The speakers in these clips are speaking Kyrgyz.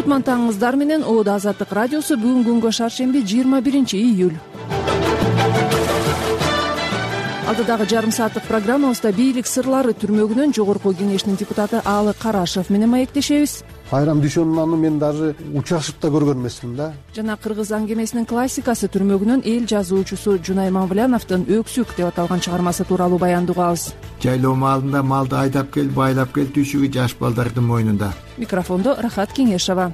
кутман таңыңыздар менен. Оодо Азаттык радиосу бүгүн күнгө шаршемби 21-июль. Алдыдагы жарым сааттык программабызда бийлик сырлары түрмөгүнөн жогорку кеңештин депутаты Аалы Карашев менен маектешебиз. Айрам дүйшөнүн аны мен даже учашып да көргөн эмесмин да. Жана кыргыз аңгемесинин классикасы түрмөгүнөн эл жазуучусу Жунай Мамбуляновдун «Өксүк» деп аталган чыгармасы тууралуу баяндоо кылабыз. Жайлоо маалында малды айдап кел, байлап кел түйшүгү жаш балдардын мойнунда. Микрофондо Рахат Кеңешова.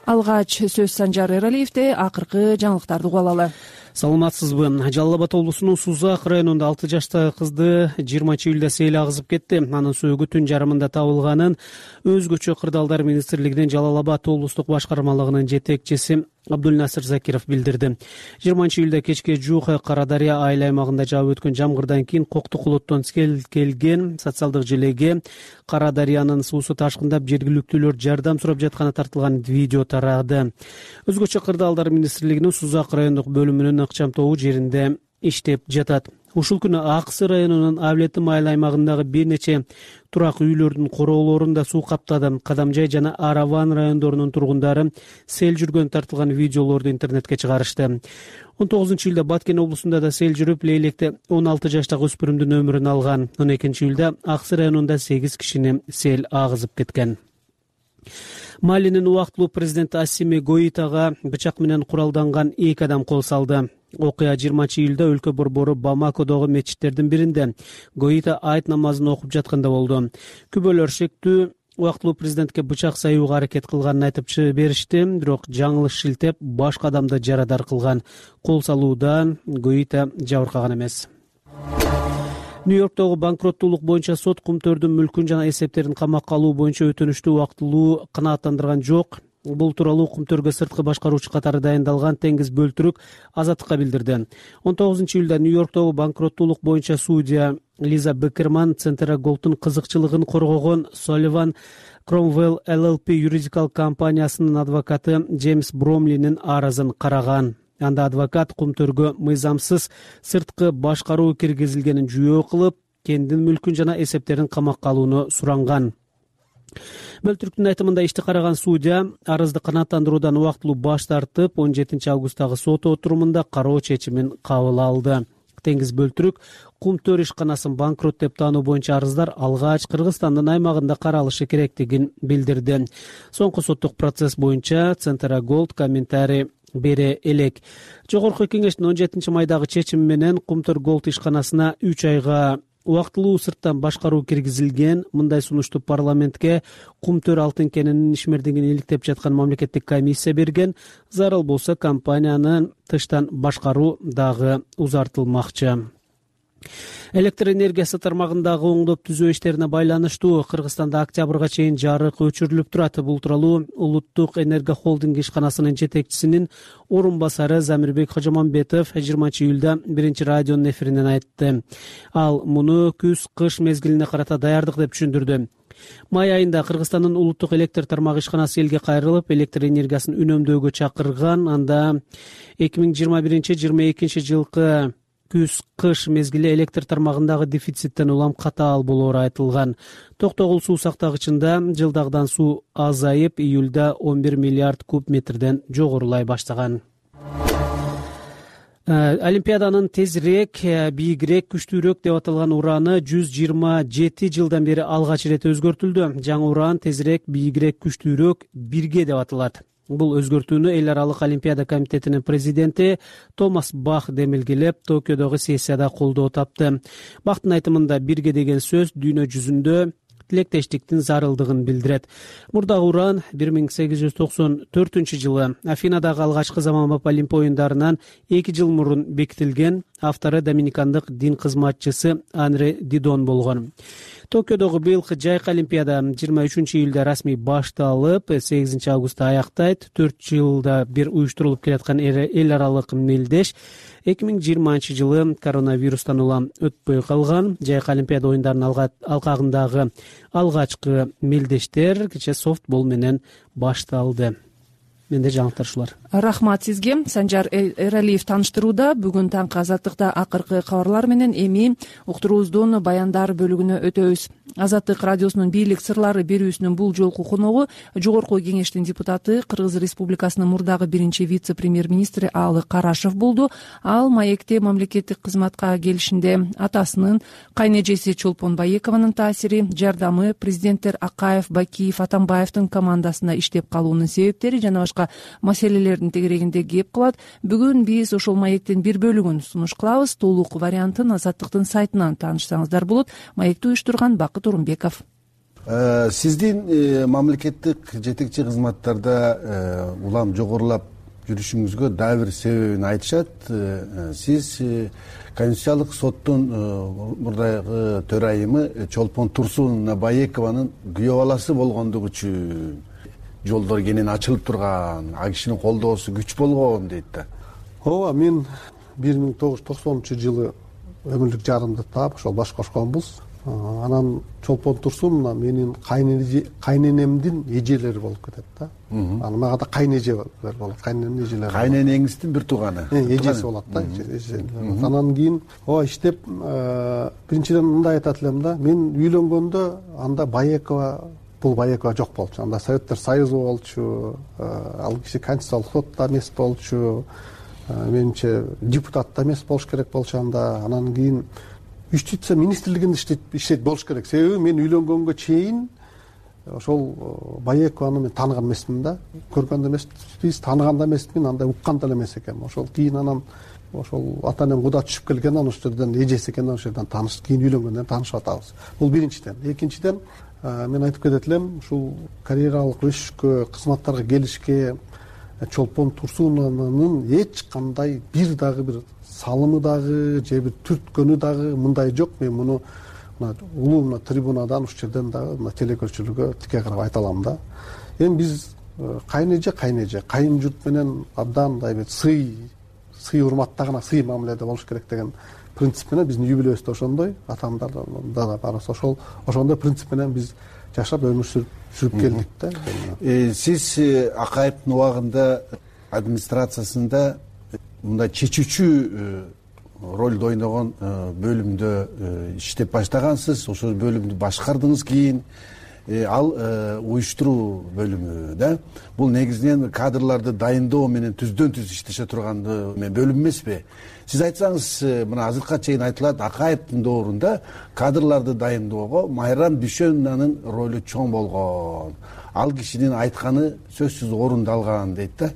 Алгач сөз Санжар Эралиевде. Акыркы жаңылыктарды угуп алалы. Саламатсызбы? Жалал Абад облусунун Сузак районунда 6 жаштагы кызды 20-июлда сел агызып кетти. Анын сөөгү түн жарымында табылганын өзгөчө кырдаалдар министрлигинин Жалал Абад облустук башкармалыгынын жетекчиси Абдулнасыр Закиров билдирди. 20-июлда кечке жуук Кара Дарыя айыл аймагында жаап өткөн жамгырдан кийин Коктукулуттон келген социалдык желеге Кара Дарыянын суусу ташкындап, жергиликтүүлөр жардам сурап жатканы тартылган видео тарады. Өзгөчө кырдаалдар министрлигинин Сузак райондук бөлүмүнүн ыкчам тобу жеринде иштеп жатат. Ушул күнү Аксы районунун Авлетим айыл аймагындагы бир нече турак үйлөрдүн короолорунда суу каптады. Кадамжай жана Араван райондорунун тургундары сел жүргөн тартылган видеолорду интернетке чыгарышты. 19-июлда Баткен облусунда да сел жүрүп, Лейлекте 16 жаштагы өспүрүмдүн өмүрүн алган. 12-июлда Аксы районунда 8 кишини сел агызып кеткен. Малинин убактылуу президенти Ассими Гоитага бычак менен куралданган 2 адам кол салды. Окуя 20-июлда өлкө борбору Бамакодогу мечиттердин биринде Гоита айт намазын окуп жатканда болду. Күбөлөр шектүү убактылуу президентке бычак саюуга аракет кылганын айтып беришти, бирок жаңылыш шилтеп башка адамды жарадар кылган. Кол салуудан Гоита жабыркаган эмес. Нью-Йорктогу банкроттуулук боюнча сот кумтөрдүн мүлкүн жана эсептерин камакка алуу боюнча өтүнүштү убактылуу канааттандырган жок. Бул тууралуу кумтөргө сырткы башкаруучу катары дайындалган Теңиз Бөлтүрүк Азаттыкка билдирди. 19-июлда Нью-Йорктогу банкроттуулук боюнча судья Лиза Бекерман Центра Голдтун кызыкчылыгын коргогон Sullivan Cromwell LLP юридикалык компаниясынын адвокаты Джеймс Бромлинин арызын караган. Анда адвокат кумтөргө мыйзамсыз сырткы башкаруу киргизилгенин жүйө кылып, кендин мүлкүн жана эсептерин камакка алууну суранган. Бөлтүрүктүн айтымында ишти караган судья арызды канааттандыруудан убактылуу баш тартып, 17 августтагы сот отурумунда кароо чечимин кабыл алды. Теңиз Бөлтүрүк кумтөр ишканасын банкрот деп таануу боюнча арыздар алгач Кыргызстандын аймагында каралышы керектигин билдирди. Соңку соттук процесс боюнча Центра Голд комментарий бере элек. Жогорку кеңештин 17 майдагы чечими менен Кумтөр Голд ишканасына 3 айга убактылуу сырттан башкаруу киргизилген. Мындай сунушту парламентке Кумтөр алтын кенинин ишмердигин иликтеп жаткан мамлекеттик комиссия берген. Зарыл болсо компанияны тыштан башкаруу дагы узартылмакчы. Электр энергиясы тармагындагы оңдоп түзөө иштерине байланыштуу Кыргызстанда октябрга чейин жарык өчүрүлүп турат. Бул тууралуу Улуттук энерго холдинг ишканасынын жетекчисинин орун басары Замирбек Хожомамбетов 20-июлда биринчи радионун эфиринен айтты. Ал муну күз-кыш мезгилине карата даярдык деп түшүндүрдү. Май айында Кыргызстандын улуттук электр тармагы ишканасы элге кайрылып, электр энергиясын үнөмдөөгө чакырган. Анда 2021-22 жылкы күз-кыш мезгили электр тармагындагы дефициттен улам катаал болоору айтылган. Токтогул суу сактагычында жылдагыдан суу азайып, июлда 11 миллиард куб метрден жогорулай баштаган. Олимпиаданын тезирээк, бийигирээк, күчтүүрөөк деп аталган ураны 127 жылдан бери алгач ирет өзгөртүлдү. Жаңы уран тезирээк, бийигирээк, күчтүүрөөк, бирге деп аталат. Бул өзгөртүүнү Эл аралык Олимпиада комитетинин президенти Томас Бах демилгелеп, Токиодогу сессияда колдоо тапты. Бахтын айтымында бирге деген сөз дүйнө жүзүндө тилектештиктин зарылдыгын билдирет. Мурдагы уран 1894 жылы Афинадагы алгачкы заманбап Олимп оюндарынан 2 жыл мурун бекитилген. Автору доминикандык дин кызматчысы Анре Дидон болгон. Токиодогу быйылкы жайкы Олимпиада 23-июлда расмий башталып, 8 августта аяктайт. 4 жылда бир уюштурулуп келаткан эл аралык мелдеш 2020 жылы коронавирустан улам өтпөй калган. Жайкы Олимпиада оюндарынын алкагындагы алгачкы мелдештер кече софтбол менен башталды. менде жаңылыктар ушулар. Рахмат сизге. Санжар Эралиев тааныштырууда. Бүгүн таңкы Азаттыкта акыркы кабарлар менен эми уктуруубуздун баяндар бөлүгүнө өтөбүз. Азаттык радиосунун бийлик сырлары берүүсүнүн бул жолку коногу Жогорку Кеңештин депутаты, Кыргыз Республикасынын мурдагы биринчи вице-премьер-министри Аалы Карашев болду. Ал маекте мамлекеттик кызматка келишинде атасынын, кайнэжеси Чолпон Баекованын таасири, жардамы, президенттер Акаев, Бакиев, Атамбаевдин командасында иштеп калуунун себептери жана башка маселелердин тегерегинде кеп кылат. Бүгүн биз ошол маектин бир бөлүгүн сунуш кылабыз. Толук вариантын Азаттыктын сайтынан таанышсаңыздар болот. Маекти уюштурган Бакыт Орунбеков. Сиздин мамлекеттик жетекчи кызматтарда улам жогорулап жүрүшүңүзгө дагы бир себебин айтышат. Сиз Конституциялык соттун мурдагы төрайымы Чолпон Турсун Баекованын күйөө баласы болгондугу үчүн жолдор кенен ачылып турган, ал кишинин колдоосу күч болгон дейт да. Ооба, мен 1990-жылы өмүрлүк жарымды таап ошол баш кошконбуз. Анан Чолпон Турсун менин кайненемдин эжелери болуп кетет да. Анан мага да кайнэжелер болот. Кайненемдин эжелери. Кайненеңиздин бир тууганы. Эжеси болот да. Анан кийин иштеп биринчиден мындай айтат элем да. Мен үйлөнгөндө анда бул Баекова жок болчу. Анда Советтер Союзу болчу. Ал киши Конституциялык сотто эмес болчу. Менимче депутат да эмес болуш керек болчу анда. Анан кийин Юстиция министрлигинде иштейт болуш керек. Себеби мен үйлөнгөнгө чейин ошол Баекованы мен тааныган эмесмин да. Көргөн да эмеспиз, тааныган да эмесмин, андай уккан да эмес экенмин. Ошол кийин анан ошол ата-энем куда түшүп келген, анан ошол жерден эжеси экен, ошол жерден таанышып, кийин үйлөнгөндөн таанышып атабыз. Бул биринчиден. Экинчиден мен айтып кетет элем, ушул карьералык өсүшкө, кызматтарга келишке Чолпон Турсуновнун эч кандай бир дагы бир салымы дагы же бир түрткөнү дагы мындай жок. Мен муну улуу трибунадан ушул жерден дагы телекөрчүлүккө тике карап айта алам да. Эми биз кайнэже, кайын журт менен абдан мындай бир сый урматтаган, сый мамиледе болуш керек деген принцип менен биздин үй-бүлөбүз да ошондой, атамдар да барысы ошондой принцип менен биз жашап өмүр сүрүп келдик да. Сиз Акаевдин убагында администрациясында мындай чечүүчү ролду ойногон бөлүмдө иштеп баштагансыз. Ошол бөлүмдү башкардыңыз. Кийин ал уюштуруу бөлүмү да. Бул негизинен кадрларды дайындоо менен түздөн түз иштеше турган бөлүм эмеспи? Сиз айтсаңыз, мына азыркыга чейин айтылат, Акаевдин доорунда кадрларды дайындоого Майрам Дүйшөнованын ролу чоң болгон. Ал кишинин айтканы сөзсүз орундалган дейт да.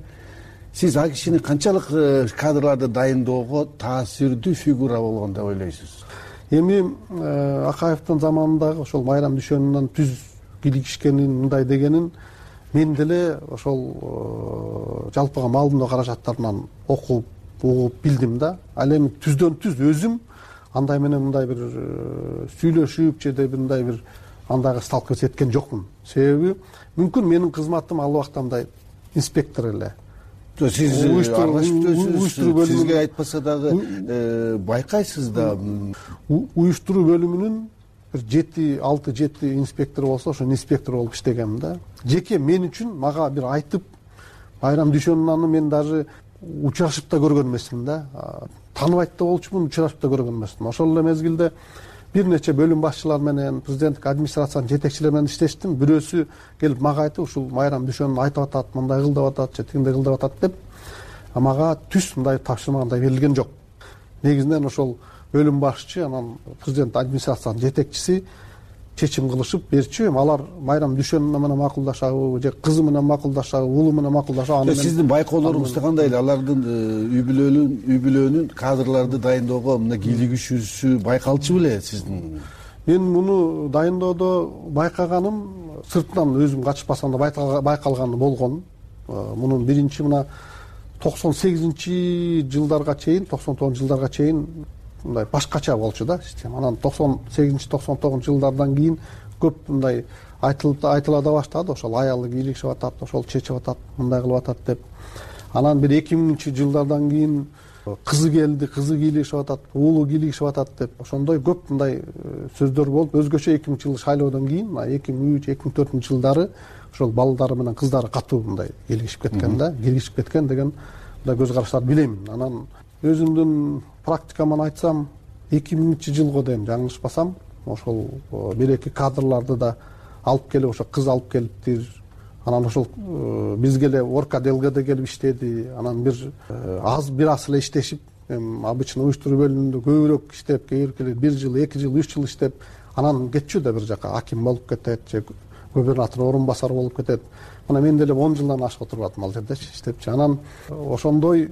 Сиз ал кишинин канчалык кадрларды дайындоого таасирдүү фигура болгон деп ойлойсуз? Эми Акаевдин заманындагы ошол Майрам Дүйшөновандан түз килигишкенин, мындай дегенин мен деле ошол жалпыга маалымдоо каражаттарынан окуп, угуп билдим да. Ал эми түздөн түз өзүм андай менен мындай бир сүйлөшүп же мындай бир андайга сталкиваться эткен жокмун. Себеби мүмкүн менин кызматым ал убакта мындай инспектор эле. Сиз уюштуруу бөлүмү сизге айтпаса дагы байкайсыз да. Уюштуруу бөлүмүнүн бир 6-7 инспектору болсо, ошо инспектор болуп иштегенмин да. Жеке мен үчүн мага бир айтып, Майрам Дүйшөнованы мен даже учурашып да көргөн эмесмин да. Тааныбайт да болчумун, учурашып да көргөн эмесмин. Ошол эле мезгилде бир нече бөлүм башчылар менен, президенттик администрациянын жетекчилери менен иштештим. Бирөөсү келип мага айтып, ушул Майрам Дүйшөнов айтып атат, мындай кыл деп атат, же тигиндей кыл деп атат деп, мага түз мындай тапшырмагандай берилген жок. Негизинен ошол бөлүм башчы, анан президент администрациянын жетекчиси чечим кылышып берчү. Алар Майрам Дүйшөнова менен макулдашабы, же кызы менен макулдашабы, уулу менен макулдашабы. Сиздин байкоолоруңуз кандай эле? Алардын үй бүлөнүн кадрларды дайындоого мына кийлигишүүсү байкалчу беле сиздин? Мен муну дайындоодо байкаганым сыртынан өзүм качпасам да байкалганы болгон. Мунун биринчи мына 98-жылдарга чейин, 99-жылдарга чейин мындай башкача болчу да система. Анан 98-99-жылдардан кийин көп мындай айтыла да баштады. Ошол аялы кийлигишип атат, ошол чечип атат, мындай кылып атат деп. Анан бир 2000-жылдардан кийин кызы келди, кызы кийлигишип атат, уулу кийлигишип атат деп ошондой көп мындай сөздөр болуп, өзгөчө 2000-жылы шайлоодон кийин 2003-2004 жылдары ошол балдары менен кыздары катуу мындай кийлигишип кеткен да, киргизип кеткен деген мындай көз караштарды билемин. Анан өзүмдүн практикаман айтсам 2000-жылга дейм жаңылышпасам ошол бир-эки кадрларды да алып келип, ошо кыз алып келиптир. Анан ошол бизге эле Орка ДЛГде келип иштеди. Анан бир аз эле иштешип, обычно уюштуруу бөлүмүндө көбүрөөк иштеп, кээ бир жыл, 2 жыл, 3 жыл иштеп, анан кетчү да бир жака аким болуп кетет же губернатор орун басары болуп кетет. Мына мен деле 10 жылдан ашык отуруп атам ал жердечи иштепчи. Анан ошондой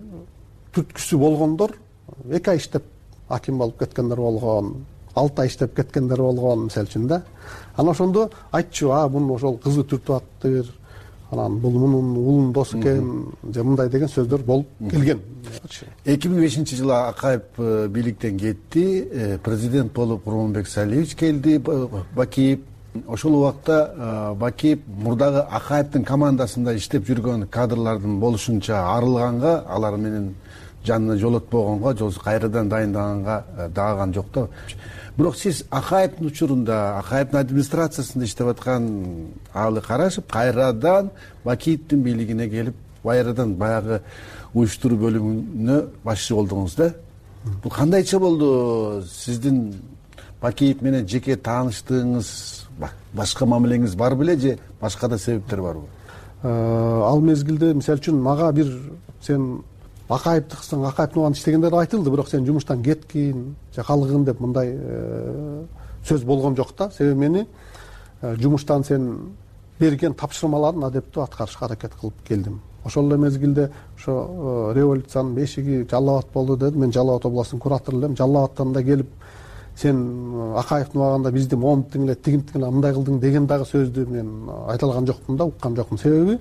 түрткүсү болгондор 2 ай иштеп аким болуп кеткендер болгон, 6 ай иштеп кеткендер болгон мисалы үчүн да. Анан ошондо айтчу, бунун ошол кызы түртүп аттыр, анан бул мунун уулунун досу экен же мындай деген сөздөр болуп келген. 2005-жылы Акаев бийликтен кетти, президент болуп Курманбек Салиевич келди, Бакиев. Ошол убакта Бакиев мурдагы Акаевдин командасында иштеп жүргөн кадрлардын болушунча арылганга, алар менен жанына жолотпогонго, же кайрадан дайындаганга даган жок да. Бирок сиз Акаевдин учурунда, Акаевдин администрациясында иштеп аткан алы карашып, кайрадан Бакиевдин бийлигине келип, кайрадан баягы уюштуруу бөлүмүнө башчы болдуңуз да. Бул кандайча болду? Сиздин Бакиев менен жеке тааныштыгыңыз, башка мамилеңиз бар беле же башка да себептер барбы? Ал мезгилде мисалы үчүн мага бир сен Акаевдыксың, Акаевдин убагында иштегендер айтылды, бирок сен жумуштан кеткин же калгын деп мындай сөз болгон жок да. Себеби мени жумуштан сен берген тапшырмаларын адептүү аткарышка аракет кылып келдим. Ошол эле мезгилде ошо революциянын бешиги Жалал Абад болду деди. Мен Жалал Абад областынын куратору элем. Жалал Абадтан да келип сен Акаевдин убагында бизди момуттуң эле, тигинтиң эле, мындай кылдың деген дагы сөздү мен айта алган жокмун да, уккан жокмун. Себеби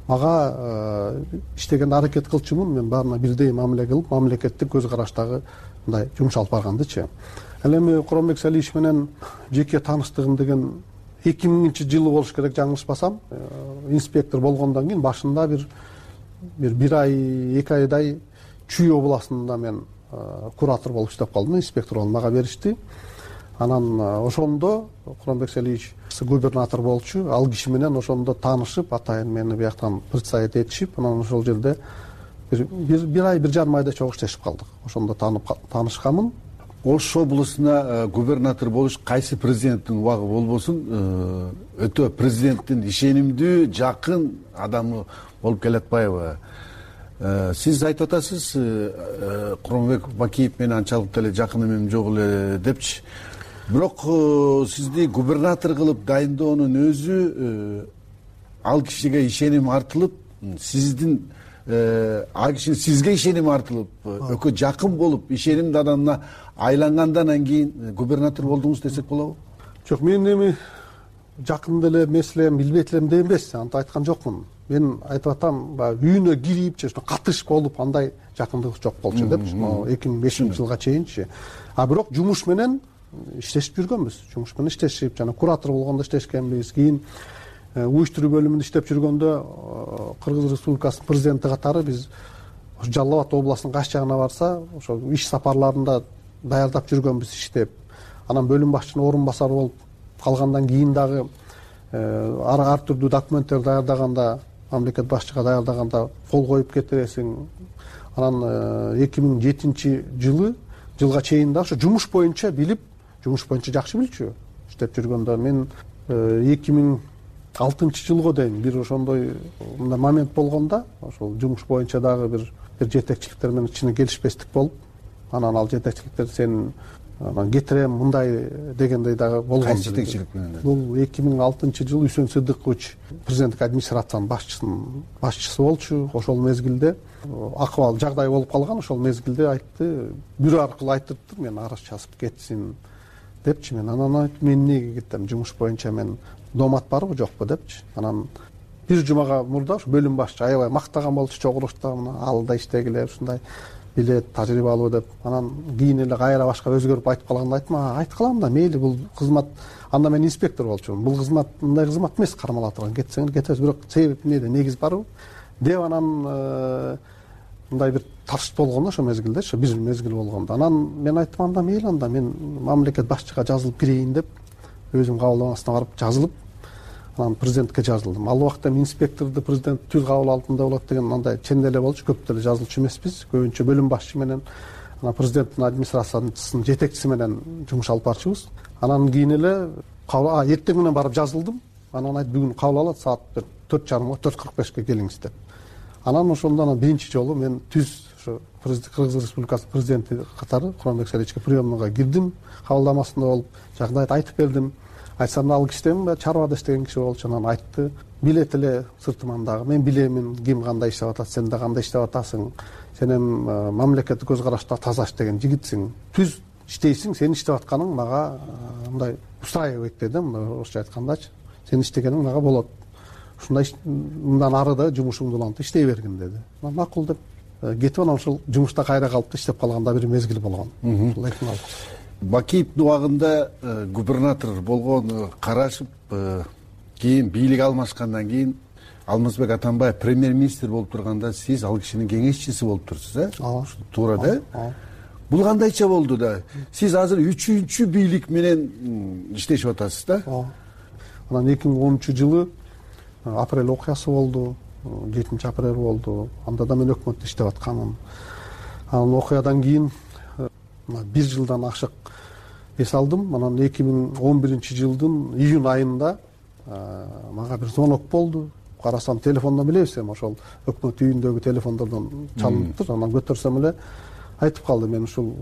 мага иштегенде аракет кылчумун, мен баарына бирдей мамиле кылып, мамлекеттик көз караштагы мындай жумуш алып баргандычы. Ал эми Курманбек Салиевич менен жеке тааныштыгым деген 2000-жылы болуш керек, жаңылышпасам. Инспектор болгондон кийин башында бир ай, 2 айдай Чүй областында мен куратор болуп иштеп калдым, инспектор болуп мага беришти. Анан ошондо Курманбек Салиевич губернатор болчу, ал киши менен ошондо таанышып, атайын мени бияктан представить этишип, анан ошол жерде бир ай, 1,5 айда чогуу иштешип калдык. Ошондо таанышканмын. Ош облусуна губернатор болуш кайсы президенттин убагы болбосун өтө президенттин ишенимдүү, жакын адамы болуп келатпайбы? Сиз айтып атасыз, Курманбек Бакиев менен анчалык деле жакын эмем жок эле депчи. Бирок сизди губернатор кылып дайындоонун өзү ал кишиге ишеним артылып, сиздин ал кишинин сизге ишеним артылып, өкө жакын болуп, ишенимдүү адамына айлангандан кийин губернатор болдуңуз десек болобу? Жок, мен эми жакын деле эмес элем, билбейт элем деп эмес, антип айткан жокмун. Мен айтып атам, үйүнө кирип же катышып болуп андай жакындык жок болчу депчи, 2005-жылга чейинчи. Бирок жумуш менен иштешип жүргөнбүз. Жумуш менен иштешип, жана куратор болгондо иштешкенбиз. Кийин уюштуруу бөлүмүндө иштеп жүргөндө Кыргыз Республикасынын президенти катары биз Жалал Абад областынын кайсы жагына барса, ошо иш сапарларында даярдап жүргөнбүз иштеп. Анан бөлүм башчынын орун басары болуп калгандан кийин дагы ар түрдүү документтер даярдаганда, мамлекет башчыга даярдаганда кол коюп кетиресиң. Анан 2007-жылга чейин да ошо жумуш боюнча билип, жумуш боюнча жакшы билчү. Иштеп жүргөндө мен 2006-жылга дейин бир ошондой мындай момент болгондо, ошол жумуш боюнча дагы бир жетекчиликтер менен ичине келишпестик болуп, анан ал жетекчиликтер сен кетирем мындай дегендей дагы болгон. Кайсы жетекчилик менен? Бул 2006-жылы Үсөн Сыдыкович президенттик администрациянын башчысы болчу. Ошол мезгилде акыбал жагдай болуп калган, ошол мезгилде айтты, бирөө аркылуу айтырыптыр, мен арыз жазып кетсин депчи. Мен анан айтып, мен эмнеге кетем, жумуш боюнча мен доомат барбы жокпу депчи. Анан бир жумага мурда ушу бөлүм башчы аябай мактаган болчу, чогулушта ал да иштегиле ушундай билет, тажрыйбалуу деп. Анан кийин эле кайра башка өзгөрүп айтып калганда айттым, айткылам да, мейли, бул кызмат, анда мен инспектор болчумун, бул кызмат мындай кызмат эмес, кармала турган, кетсеңер кетебиз, бирок себеп эмнеде, негиз барбы деп. Анан мындай бир тартыш болгон ошол мезгилде, ошо бир мезгил болгондо. Анан мен айттым, анда мейли, анда мен мамлекет башчыга жазылып кирейин деп өзүм кабылдамасына барып жазылып, анан президентке жазылдым. Ал убакта инспекторду президент түз кабыл алдында болот деген андай чен эле болчу, көп деле жазылчу эмеспиз. Көбүнчө бөлүм башчы менен анан президенттин администрациясынын жетекчиси менен жумуш алып барчубыз. Анан кийин эле эртең менен барып жазылдым. Анан айтты, бүгүн кабыл алат саат 4:30 4:45 келиңиз деп. Анан ошондо биринчи жолу мен түз ошо Кыргыз Республикасы президенти катары Куранбек Саричке приемныйга кирдим, кабылдамасында болуп, жагдайды айтып бердим. Айтсам, ал кишиден чарбада иштеген киши болчу. Анан айтты, билет эле сыртыман дагы, мен билемин ким кандай иштеп атат, сен да кандай иштеп атасың, сен эми мамлекеттик көз карашта таза иштеген жигитсиң, түз иштейсиң, сен иштеп атканың мага мындай устраивайт деди, орусча айткандачы, сен иштегениң мага болот, ушундай мындан ары да жумушуңду улантып иштей бергин деди. Макул деп кетип, анан ошол жумушта кайра калып иштеп калганда бир мезгил болгон. Бакиевдин убагында губернатор болгон Карашев кийин бийлик алмашкандан кийин Алмазбек Атамбаев премьер-министр болуп турганда сиз ал кишинин кеңешчиси болуп турсуз, туура да? Бул кандайча болду да? Сиз азыр 3-чү бийлик менен иштешип атасыз да? Анан 2010-жылы апрель окуясы болду, 7-апрель болду. Анда да мен өкмөттө иштеп атканмын. Анан окуядан кийин 1 жылдан ашык эс алдым. Анан 2011-жылдын июнь айында мага бир звонок болду. Карасам, телефондон билебизем, ошол өкмөт үйүндөгү телефондордон чалыныптыр. Анан көтөрсөм эле айтып калды, мен ушул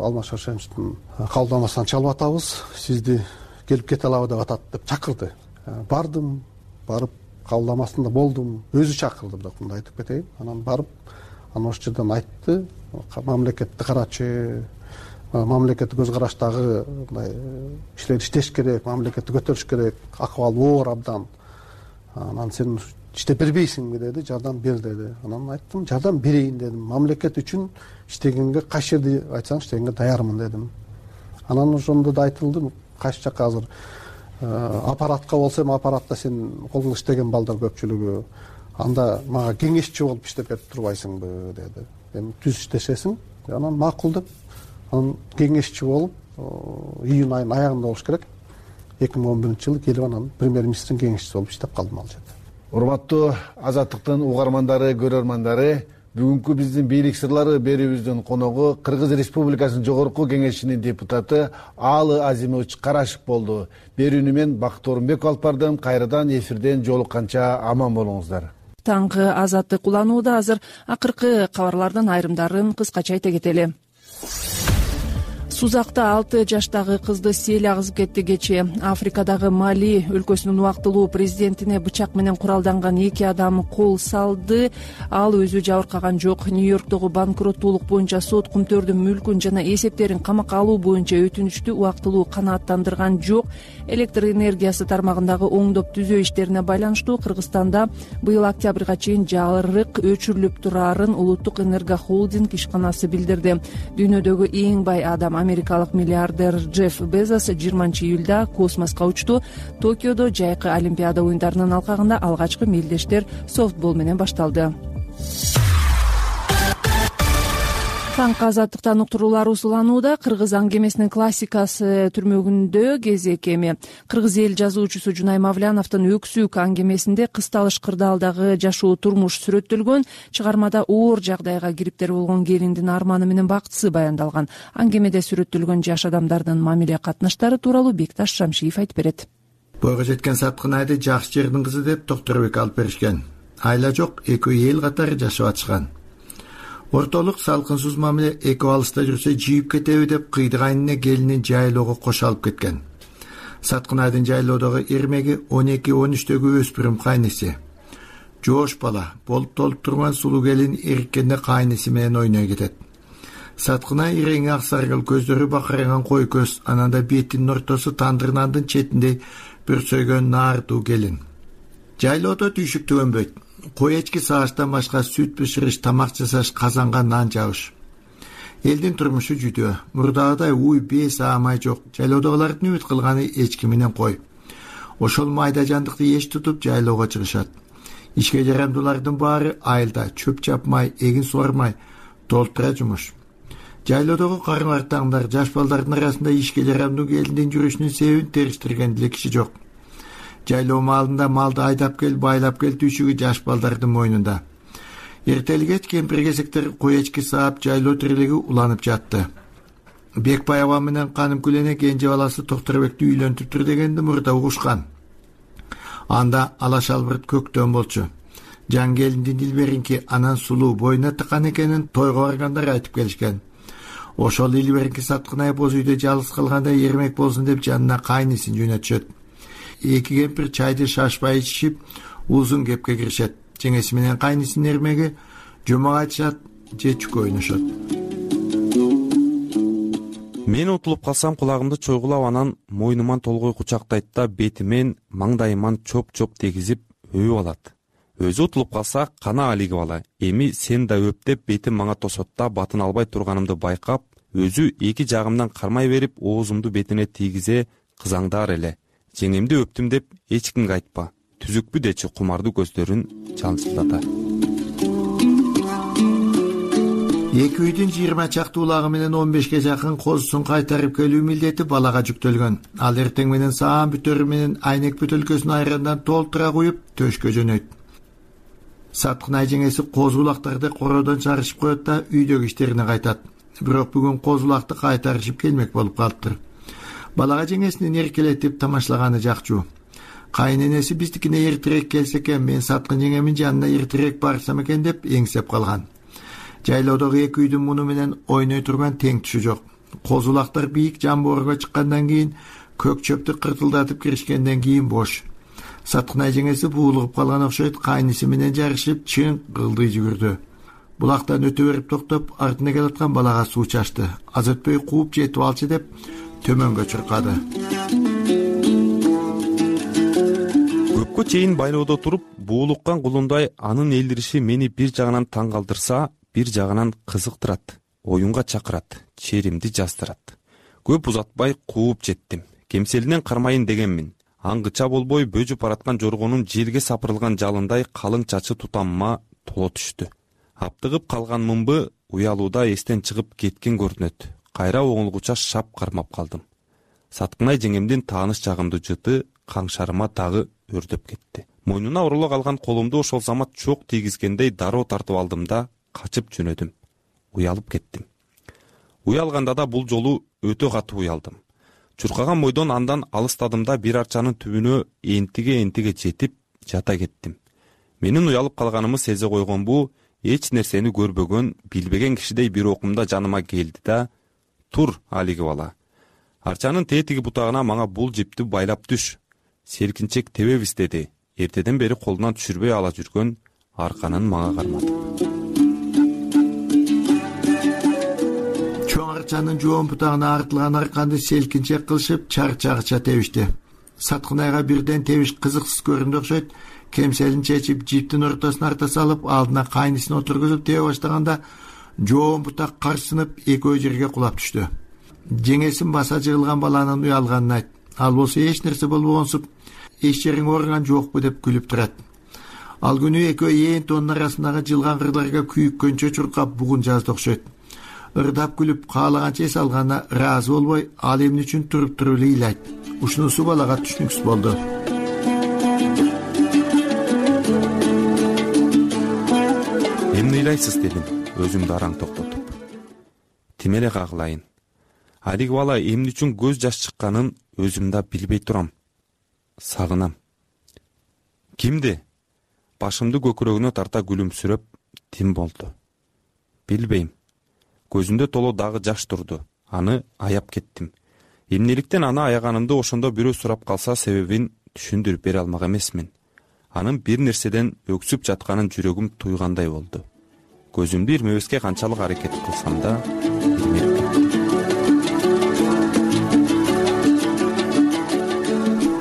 Алмаз Шаршеновичтин кабылдамасынан чалып атабыз, сизди келип кете алабы деп атат деп чакырды. Бардым, барып кабылдамасында болдум. Өзү чакырды, бирок мындай айтып кетейин. Анан барып, анан ошол жерден айтты, мамлекетти карачы, мамлекеттик көз караштагы мындай иштер иштеш керек, мамлекетти көтөрүш керек, акыбал оор абдан. Анан сен иштеп бербейсиңби деди, жардам бер деди. Анан айттым, жардам берейин дедим. Мамлекет үчүн иштегенге кайсы жерди айтсаң иштегенге даярмын дедим. Анан ошондо да айтылды, кайсы жакка азыр аппаратка болсо эми аппаратта сен колуңда иштеген балдар көпчүлүгү, анда мага кеңешчи болуп иштеп берип турбайсыңбы деди. Эми түз иштешесиң. Анан макул деп, анан кеңешчи болуп июнь айынын аягында болуш керек. 2011-жылы келип анан премьер-министрдин кеңешчиси болуп иштеп калдым ал жерде. Урматтуу Азаттыктын угармандары, көрөрмандары, бүгүнкү биздин бийлик сырлары берүүбүздүн коногу Кыргыз Республикасынын Жогорку Кеңешинин депутаты Аалы Азимович Карашев болду. Берүүнү мен Бакыт Орунбеков алып бардым. Кайрадан эфирден жолукканча аман болуңуздар. Таңкы Азаттык уланууда. Азыр акыркы кабарлардын айрымдарын кыскача айта кетели. Сузакта 6 жаштагы кызды сел агызып кетти. Кечээ Африкадагы Мали өлкөсүнүн убактылуу президентине бычак менен куралданган 2 адам кол салды. Ал өзү жабыркаган жок. Нью-Йорктогу банкроттуулук боюнча сот кумтөрдүн мүлкүн жана эсептерин камакка алуу боюнча өтүнүчтү убактылуу канааттандырган жок. Электр энергиясы тармагындагы оңдоп түзөө иштерине байланыштуу Кыргызстанда быйыл октябрга чейин жарык өчүрүлүп турарын Улуттук энергохолдинг ишканасы билдирди. Дүйнөдөгү эң бай адам америкалык миллиардер Джефф Безос 20-июлда космоско учту. Токиодо жайкы Олимпиада оюндарынын алкагында алгачкы мелдештер софтбол менен башталды. Таңкы Азаттыктан уктуруулар узуланууда. Кыргыз аңгемесинин классикасы түрмөгүндө кезек эми. Кыргыз эл жазуучусу Жунай Мавляновдун Өксүк аңгемесинде кысталыш кырдаалдагы жашоо турмуш сүрөттөлгөн. Чыгармада оор жагдайга кириптер болгон келиндин арманы менен бактысы баяндалган. Аңгемеде сүрөттөлгөн жаш адамдардын мамиле катнаштары тууралуу Бекташ Шамшиев айтып берет. Бойго жеткен Саткынайды жакшы жердин кызы деп Токторбек алып беришкен. Айла жок, экөө эл катары жашап атышкан. Ортолук салкынсыз мамиле экөө алыста жүрсө жийип кетеби деп кыйдыгайнына келинин жайлоого кошо алып кеткен. Саткынайдын жайлоодогу эрмеги 12-13-төгү өспүрүм кайнеси. Жоош бала, болуп толуп турган сулуу келин эриккенде кайнеси менен ойной кетет. Саткынай ирең ак саргыл көздөрү бакыранган кой көз, ананда бетинин ортосу тандыр нандын четинде бүрсөйгөн наардуу келин. Жайлоодо түйшүк түгөнбөйт. Кой эчки сагаштан башка сүт бышырыш, тамак жасаш, казанга нан жабыш. Элдин турмушу жүдөө. Мурдагыдай уй бес аамай жок. Жайлоодогулардын үмүт кылганы эчки менен кой. Ошол майда жандыкты эч тутуп жайлоого чыгышат. Ишке жарамдуулардын баары айылда чөп чапмай, эгин сугармай толтура жумуш. Жайлоодогу кармартаңдар, жаш балдардын арасында ишке жарамдуу келиндин жүрүшүнүн себебин териштирген деле киши жок. Жайлоо маалында малды айдап кел, байлап кел түйшүгү жаш балдардын мойнунда. Эртелгеч кемпир-кесектер кой эчки саап, жайлоо тирелеги уланып жатты. Бекбай аба менен Канымкүлене кенже баласы Токторбекти үйлөнтүптүр дегенди мурда угушкан. Анда ала шалбырт көктөн болчу. Жан келиндин Дилберинки анан сулуу боюна тыккан экенин тойго баргандар айтып келишкен. Ошол Дилберинки Саткынай боз үйдө жалгыз калганда эрмек болсун деп жанына кайнысын жөнөтүшөт. Эки кемпир чайды шашпай ичишип, узун кепке киришет. Жеңеси менен кайнысынын эрмеги жомок айтышат же чүкө ойношот. Мен утулуп калсам кулагымды чойгулап, анан мойнуман толгой кучактайт да бетимен, маңдайыман чоп-чоп дегизип өбүп алат. Өзү утулуп калса, кана алиги бала, эми сен да өп деп бетим мага тосот да, батын албай турганымды байкап, өзү эки жагымдан кармай берип, оозумду бетине тийгизе кызаңдар эле. Жеңемди өптүм деп эч кимге айтпа. Түзүкпү дечи кумардуу көздөрүн чалчылдата. Эки үйдүн 20 чакты улагы менен 15ке жакын козусун кайтарып келүү милдети балага жүктөлгөн. Ал эртең менен саам бүтөрү менен айнек бөтөлкөсүн айрандан толтура куюп төшкө жөнөйт. Саткынай жеңеси козу улактарды кородон чарышып коет да үйдөгү иштерине кайтат. Бирок бүгүн козу улакты кайтарышып келмек болуп калыптыр. Балага жеңесинин эркелетип тамашлаганы жакчу. Кайненеси биздикине эртерээк келсе экен, мен Саткын жеңемин жанына эртерээк барсам экен деп эңсеп калган. Жайлоодогу эки үйдүн муну менен ойной турган тең түшү жок. Козулактар бийик жамбоорго чыккандан кийин, көк чөптү кыртылдатып киришкенден кийин бош. Саткынай жеңеси буулугуп калган окшойт, кайнысы менен жарышып чың кылдый жүгүрдү. Булактан өтө берип токтоп, артына келаткан балага суу чачты. Аз өтпөй кууп жетип алчы деп төмөнгө чуркады. Көпкө чейин байлоодо туруп, буулуккан кулундай анын элдириши мени бир жагынан таң калтырса, бир жагынан кызыктырат, оюнга чакырат, черимди жаздырат. Көп узатпай кууп жеттим. Кемселинен кармайын дегенмин. Аңгыча болбой бөжүп бараткан жоргонун желге сапырылган жалындай калың чачы тутамыма толо түштү. Аптыгып калган мымбы уялууда эстен чыгып кеткен көрүнөт. Кайра оңулгуча шап кармап калдым. Саткынай жеңемдин тааныш жагымдуу жыты каңшарыма дагы өрдөп кетти. Мойнуна ороло калган колумду ошол замат чок тийгизгендей дароо тартып алдым да качып жөнөдүм. Уялып кеттим. Уялганда да бул жолу өтө катуу уялдым. Чуркаган бойдон андан алыстадым да бир арчанын түбүнө энтиге жетип жата кеттим. Менин уялып калганымы сезе койгон бул эч нерсени көрбөгөн, билбеген кишидей бир окумда жаныма келди да: "Тур, алиги бала. Арчанын тетиги бутагына мага бул жипти байлап түш. Селкинчек тебебиз" деди. Эртеден бери колунан түшүрбөй ала жүргөн арканын мага карматып. Чоң арчанын жоон бутагына артылган арканды селкинчек кылышып чарчагыча тебишти. Саткынайга бирден тебиш кызыксыз көрүндү окшойт. Кемселин чечип, жиптин ортосуна арта салып, алдына кайнысын отургузуп тебе баштаганда жоон бутак карсынып экөө жерге кулап түштү. Жеңесин баса жыгылган баланын уялганын айт. Ал болсо эч нерсе болбогонсуп, эч жериң ооруган жокпу деп күлүп турат. Ал күнү экөө ээн тоонун арасындагы жылган кырларга күйүккөнчө чуркап бугун жазды окшойт. Ырдап күлүп каалаганча эс алганда ыраазы болбой, ал эмне үчүн туруп эле ыйлайт. Ушунусу балага түшүнүксүз болду. Эмне ыйлайсыз дедим, өзүмдү араң токтотуп. Тим эле кагылайын. Алиги бала эмне үчүн көз жаш чыкканын өзүм да билбей турам. Сагынам. Кимди? Башымды көкүрөгүнө тарта күлүмсүрөп, Тим болду. Билбейм. Көзүндө толо дагы жаш турду. Аны аяп кеттим. Эмнеликтен аны аяганымды ошондо бирөө сурап калса себебин түшүндүрүп бере алмак эмесмин. Анын бир нерседен өксүп жатканын жүрөгүм туйгандай болду. Көзүмдү ирмебеске канчалык аракет кылсам да ирмеп кеттим.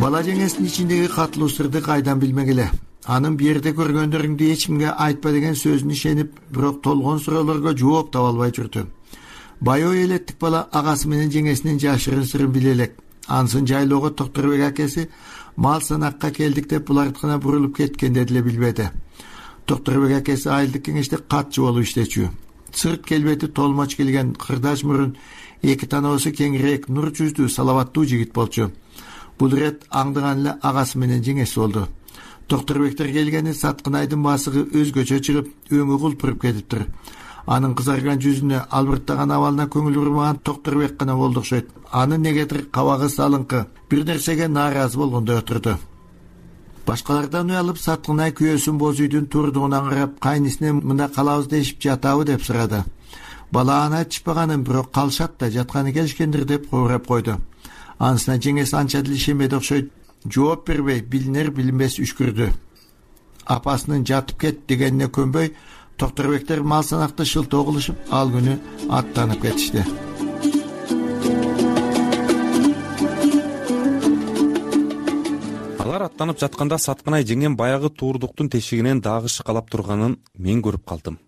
Бала жеңесинин ичиндеги катылуу сырды кайдан билмек эле. Анын бу жерде көргөндөрүңдү эч кимге айтпа деген сөзүн ишенип, бирок толгон суроолорго жооп таба албай жүрдү. Баягы элеттик бала агасы менен жеңесинин жашырын сырын биле элек. Ансын жайлоого Токторбек акеси мал санакка келдик деп булардыкына бурулуп кеткенде деле билбеди. Токторбек акеси айылдык кеңеште катчы болуп иштечү. Сырт келбети толмоч келген кырдач мурун, эки танабысы кеңирээк, нур жүздүү, салабаттуу жигит болчу. Бул ирет аңдыган эле агасы менен жеңеси болду. Токторбектер келгени Саткынайдын басыгы өзгөчө чыгып, өңү кулпуруп кетиптир. Анын кызарган жүзүнө, албырттаган абалына көңүл бурмаган Токторбек гана болду окшойт. Анын негедир кабагы салыңкы, бир нерсеге нааразы болгондой отурду. Башкалардан уялып Саткынай күйөөсүн боз үйдүн турдугунан карап, кайнисине мында калабыз дешип жатабы деп сурады. Бала аны айтышпаганын, бирок калышат да жатканы келишкендир деп кобурап койду. Анысына жеңеси анча деле ишенбеди окшойт. Жооп бербей, билинер билинбес үшкүрдү. Апасынын жатып кет дегенине көнбөй, Токторбектер мал санакты шылтоо кылышып, ал күнү аттанып кетишти. Алар аттанып жатканда Саткынай жеңем баягы туурдуктун тешигинен дагы шыкалап турганын мен көрүп калдым.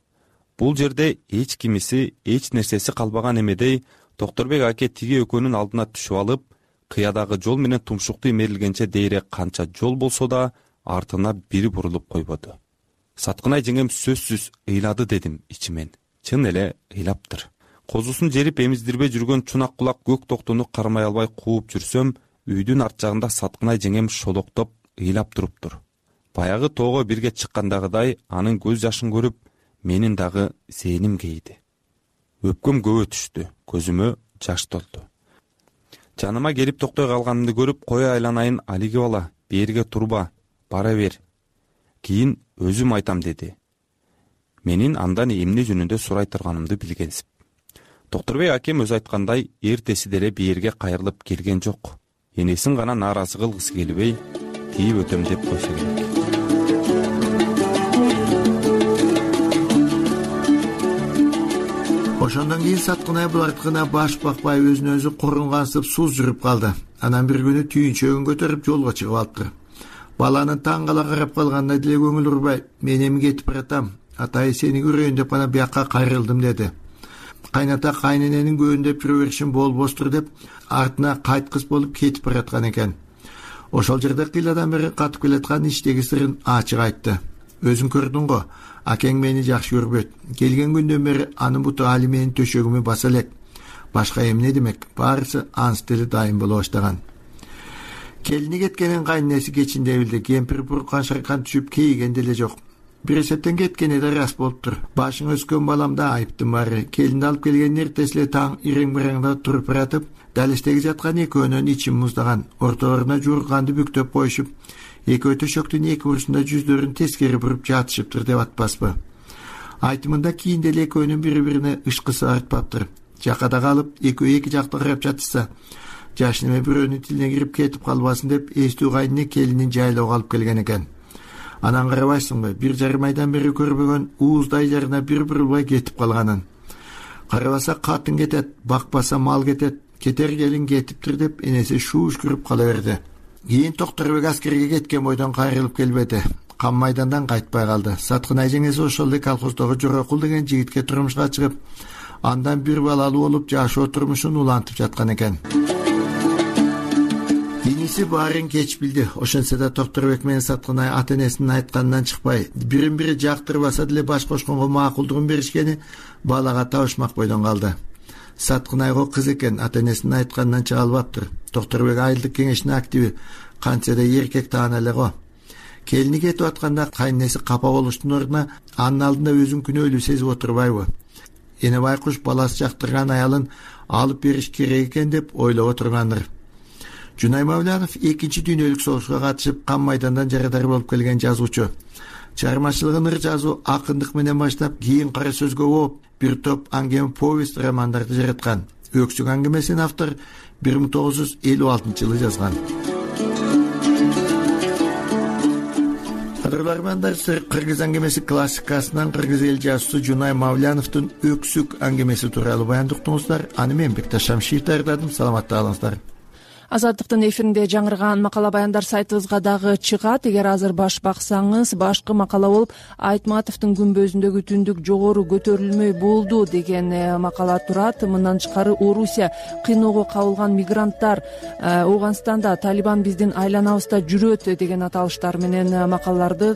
Бул жерде эч кимиси, эч нерсеси калбаган эмедей Токторбек аке тиги экөөнүн алдына түшүп алып, кыядагы жол менен тумшукту имерилгенче дейре канча жол болсо да артына бири бурулуп койбоду. Саткынай жеңем сөзсүз ыйлады дедим ичимен. Чын эле ыйлаптыр. Козусун жерип эмиздирбей жүргөн чунак кулак көк токтуну кармай албай кууп жүрсөм, үйдүн арт жагында Саткынай жеңем шолоктоп ыйлап туруптур. Баягы тоого бирге чыккандагыдай анын көз жашын көрүп, менин дагы зээним кейди. Өпкөм көбө түштү, көзүмө жаш толду. Жаныма келип токтой калганымды көрүп, кое айланайын алиги бала, бериге турба, бара бер. Кийин өзүм айтам деди. Менин андан эмне жөнүндө сурай турганымды билгенсип. Токторбек акем өзү айткандай, эртеси деле бериге кайрылып келген жок. Энесин гана нааразы кылгысы келбей, тийип өтөм деп койсо керек. Ошондон кийин Саткынай булардыкына баш бакпай өзүнө өзү корунгансып суз жүрүп калды. Анан бир күнү түйүнчөгүн көтөрүп жолго чыгып алыптыр. Баланын таң кала карап калганына деле көңүл урбай, мен эми кетип баратам, атай сени көрөйүн деп гана бияка кайрылдым деди. Кайната кайнененин көөндөп жүрө беришин болбостур деп артына кайткыс болуп кетип бараткан экен. Ошол жерде кыйладан бери катып келаткан иштеги сырын ачык айтты. Өзүң көрдүң го, акең мени жакшы көрбөйт. Келген күндөн бери анын буту али менин төшөгүмө баса элек. Башка эмне демек, баарысы анс деле дайым боло баштаган. Келини кеткенин кайненеси кечинде билди. Кемпир буркан шаркан түшүп кейиген деле жок. Бир эсептен кеткени да рас болуптур. Башың өскөн баламда айыптын баары. Келинди алып келген эртеси эле таң ирең-биреңде туруп баратып, далештеги жаткан экөөнүн ичин муздаган, ортолоруна жуурганды бүктөп коюшуп, экөө төшөктүн эки бурусунда жүздөрүн тескери буруп жатышыптыр деп атпаспы. Айтымында кийин деле экөөнүн бири-бирине ышкысы артпаптыр. Жакада калып, экөө эки жакта карап жатышса, жашыны бирөөнүн тилине кирип кетип калбасын деп эстүү кайнына келинин жайлоого алып келген экен. Анан карабайсыңбы, 1,5 айдан бери көрбөгөн ууздай жарына бир бурулбай кетип калганын. Карабаса катын кетет, бакпаса мал кетет, кетер келин кетиптир деп энеси шууш-күрүп кала берди. Кийин Токторбек аскерге кеткен бойдон кайрылып келбеди. Кам майдандан кайтпай калды. Саткынай жеңеси ошол эле колхоздогу Жорокул деген жигитке турмушка чыгып, андан бир балалуу болуп жашоо турмушун улантып жаткан экен. Иниси баарын кеч билди. Ошентсе да Токторбек менен Саткынай ата-энесинин айтканынан чыкпай, бирин-бири жактырбаса деле баш кошконго макулдугун беришкени балага табышмак бойдон калды. Саткынайго кыз экен, ата-энесинин айтканынан чыга албаптыр. Токторбек айылдык кеңештин активи, кантсе да эркек таана эле го. Келини кетип атканда кайненеси капа болуштун ордуна анын алдында өзүн күнөөлүү сезип отурбайбы? Эне байкуш баласы жактырган аялын алып бериш керек экен деп ойлоп отургандыр. Жунай Мавлянов 2-чи дүйнөлүк согушка катышып, кам майдандан жарадар болуп келген жазуучу. Чыгармачылыгын ыр жазуу, акындык менен баштап, кийин кара сөзгө болуп, бир топ аңгеме повесть романдарды жараткан. Өксүк аңгемесин автор 1956-жылы жазган. Кадырлармандар, кыргыз аңгемеси классикасынан кыргыз эл жазуучусу Жунай Мавляновдун Өксүк аңгемеси тууралуу баяндыктыңыздар. Аны мен Бекташ Шамшиев даярдадым. Саламатта калыңыздар. Азаттыктын эфиринде жаңырган макала баяндар сайтыбызга дагы чыгат. Эгер азыр баш баксаңыз, башкы макала болуп Айтматовдун күмбөзүндөгү түндүк жогору көтөрүлмөй болду деген макала турат. Мындан тышкары Орусия кыйноого кабылган мигранттар, Ооганстанда Талибан биздин айланабызда жүрөт деген аталыштар менен макалаларды,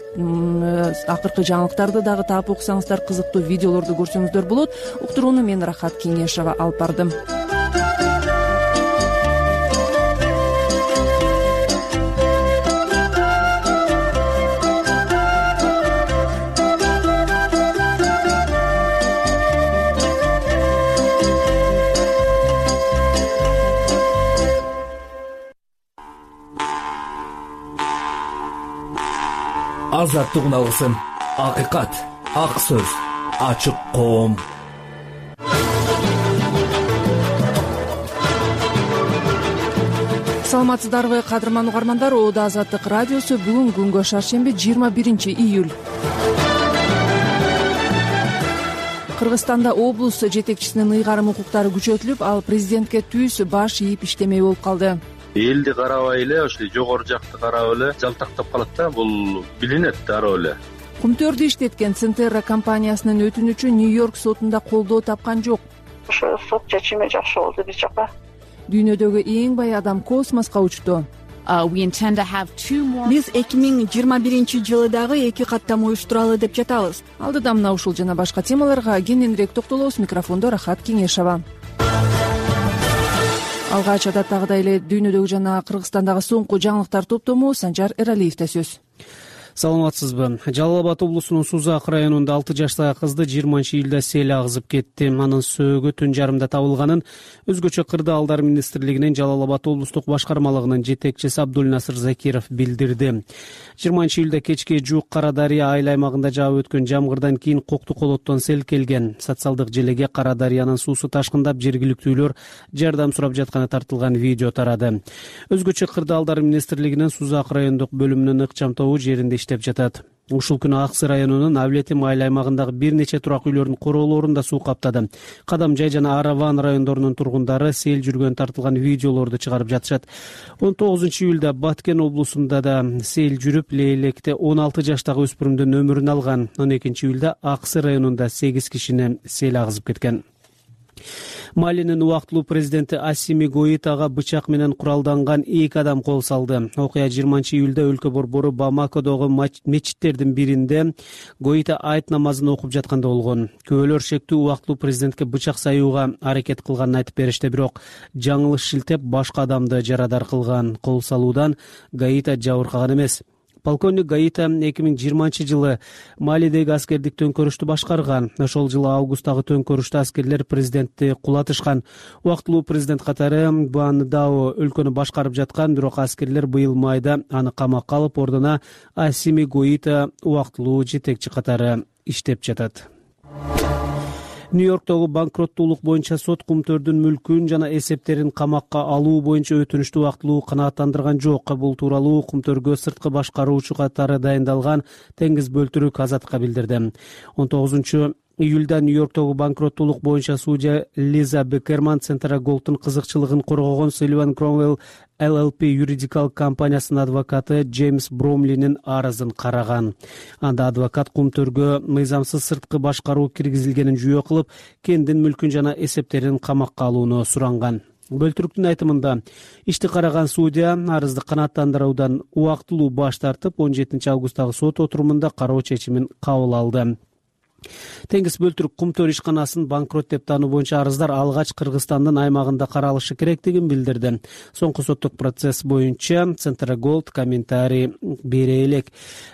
акыркы жаңылыктарды дагы таап окусаңыздар, кызыктуу видеолорду көрсөңүздөр болот. Уктурууну мен Рахат Кеңешова алып бардым. Азаттык алгысын, акыйкат, ак сөз, ачык коом. Саламатсыздарбы, кадырман угармандар? Оода Азаттык радиосу. Бүгүн күнгө шаршемби 21 июль. Кыргызстанда облус жетекчисинин ыйгарым укуктары күчөтүлүп, ал президентке түз баш ийип иштемей болуп калды. Элди карабай эле, ошо жогору жакты карап эле жалтактап калат да, бул билинет дароо эле. Кумтөрдү иштеткен Центерра компаниясынын өтүнүчү Нью-Йорк сотунда колдоо тапкан жок. Ошо сот чечими жакшы болду биз жака. Дүйнөдөгү эң бай адам космоско учту. Биз 2021 дагы 2 каттам уюштуралы деп жатабыз. Алдыда мына ушул жана башка темаларга кененирээк токтолобуз. Микрофондо Рахат Кеңешова. Алгач адаттагыдай эле дүйнөдөгү жана Кыргызстандагы соңку жаңылыктар топтому Санжар Эралиевде сөз. Саламатсызбы. Жалал Абад облусунун Сузак районунда 6 жаштагы кызды 20-июлда сел агызып кетти. Анын сөөгү түн жарымда табылганын өзгөчө кырдаалдар министрлигинин Жалал Абад облустук башкармалыгынын жетекчиси Абдулнасыр Закиров билдирди. 20-июлда кечке жуук Кара Дарыя айыл аймагында жаап өткөн жамгырдан кийин Кокту колоттон сел келген. Социалдык желеге Кара Дарыянын суусу ташкындап, жергиликтүүлөр жардам сурап жатканы тартылган видео тарады. Өзгөчө кырдаалдар министрлигинин Сузак райондук бөлүмүнүн ыкчам тобу жеринде иштеп жатат. Ушул күнү Аксы районунун Авлетим айыл аймагындагы бир нече турак үйлөрдүн короолорунда суу каптады. Кадамжай жана Араван райондорунун тургундары сел жүргөн тартылган видеолорду чыгарып жатышат. 19-июлда Баткен облусунда да сел жүрүп, Лейлекте 16 жаштагы өспүрүмдүн өмүрүн алган. 12-июлда Аксы районунда 8 кишини сел агызып кеткен. Малинин убактылуу президенти Ассими Гоитага бычак менен куралданган 2 адам кол салды. Окуя 20-июлда өлкө борбору Бамакодогу мечиттердин биринде Гоита айт намазын окуп жатканда болгон. Күбөлөр шектүү убактылуу президентке бычак саюуга аракет кылганын айтып беришти, бирок жаңылыш шилтеп башка адамды жарадар кылган. Кол салуудан Гоита жабыркаган эмес. Полковник Гоита 2020-жылы Малидеги аскердик төңкөрүштү башкарган. Ошол жылы августтагы төңкөрүштө аскерлер президентти кулатышкан. Убактылуу президент катары Буандао өлкөнү башкарып жаткан, бирок аскерлер быйыл майда аны камакка алып, ордуна Ассими Гоита убактылуу жетекчи катары иштеп жатат. Нью-Йорктогу банкроттуулук боюнча сот Кумтөрдүн мүлкүн жана эсептерин камакка алуу боюнча өтүнүштү убактылуу канааттандырган жок. Бул тууралуу Кумтөргө сырткы башкаруучу катары дайындалган Теңиз Бөлтүрүк Азаттыкка билдирди. 19-июлда Нью-Йорктогу банкроттуулук боюнча судья Лиза Бекерман Центра Голдтун кызыкчылыгын коргогон Sullivan Cromwell LLP юридикалык компаниясынын адвокаты Джеймс Бромлинин арызын караган. Анда адвокат Кумтөргө мыйзамсыз сырткы башкаруу киргизилгенин жүйө кылып, кендин мүлкүн жана эсептерин камакка алууну суранган. Бөлтүрүктүн айтымында ишти караган судья арызды канааттандыруудан убактылуу баш тартып, 17 августтагы сот отурумунда кароо чечимин кабыл алды. Теңиз Бөлтүрүк Кумтөр ишканасын банкрот деп таануу боюнча арыздар алгач Кыргызстандын аймагында каралышы керектигин билдирди. Соңку соттук процесс боюнча Центра Голд комментарий бере элек.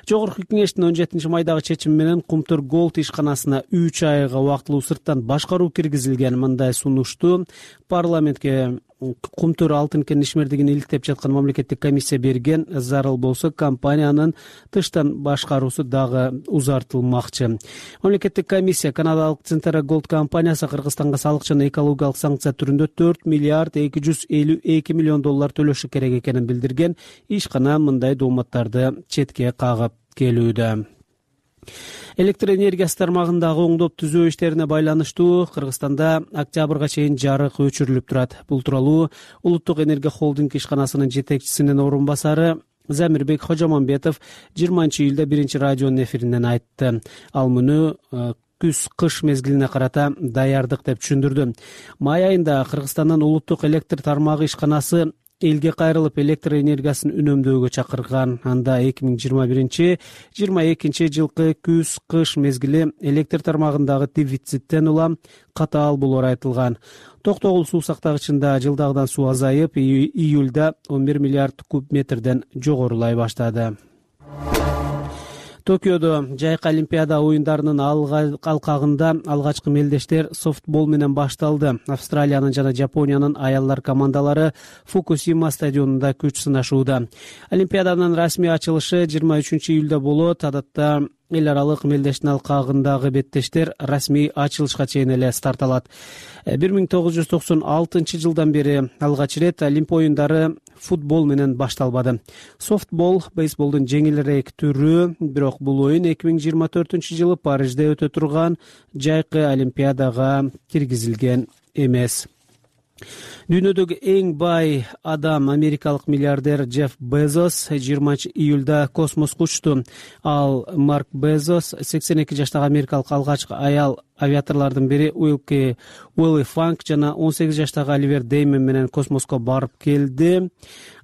Жогорку кеңештин 17 майдагы чечими менен Кумтөр Голд ишканасына 3 айга убактылуу сырттан башкаруу киргизилген. Мындай сунушту парламентке Кумтөр алтын кен ишмердигин иликтеп жаткан мамлекеттик комиссия берген. Зарыл болсо компаниянын тыштан башкаруусу дагы узартылмакчы. Мамлекеттик комиссия Канадалык Центра Голд компаниясы Кыргызстанга салык жана экологиялык санкция түрүндө 4 миллиард 252 миллион доллар төлөшү керек экенин билдирген. Ишкана мындай дооматтарды четке кагып келүүдө. Электр энергиясы тармагындагы оңдоп түзөө иштерине байланыштуу Кыргызстанда октябрга чейин жарык өчүрүлүп турат. Бул тууралуу Улуттук энергия холдинг ишканасынын жетекчисинин орун басары Замирбек Хожомамбетов 20-июлда биринчи радионун эфиринен айтты. Ал муну күз-кыш мезгилине карата даярдык деп түшүндүрдү. Май айында Кыргызстандын улуттук электр тармагы ишканасы элге кайрылып электр энергиясын үнөмдөөгө чакырган. Анда 2021-22 жылкы күз-кыш мезгили электр тармагындагы дефициттен улам катаал болоору айтылган. Токтогул суу сактагычында жылдагыдан суу азайып, июлда 11 миллиард куб метрден жогорулай баштады. Токиодо жайкы Олимпиада оюндарынын алкагында алгачкы мелдештер софтбол менен башталды. Австралиянын жана Жапониянын аялдар командалары Фукусима стадионунда күч сынашууда. Олимпиаданын расмий ачылышы 23-июлда болот. Адатта эл аралык мелдештин алкагындагы беттештер расмий ачылышка чейин эле старт алат. 1996 жылдан бери алгач ирет Олимп оюндары футбол менен башталбады. Софтбол бейсболдун жеңилирээк түрү, бирок бул оюн 2024 жылы Парижде өтө турган жайкы Олимпиадага киргизилген эмес. Дүйнөдөгү эң бай адам америкалык миллиардер Джефф Безос 20-июлда космоско учту. Ал Марк Безос 82 жаштагы америкалык алгачкы аял авиаторлордун бири Уилли Фанк жана 18 жаштагы Оливер Деймон менен космоско барып келди.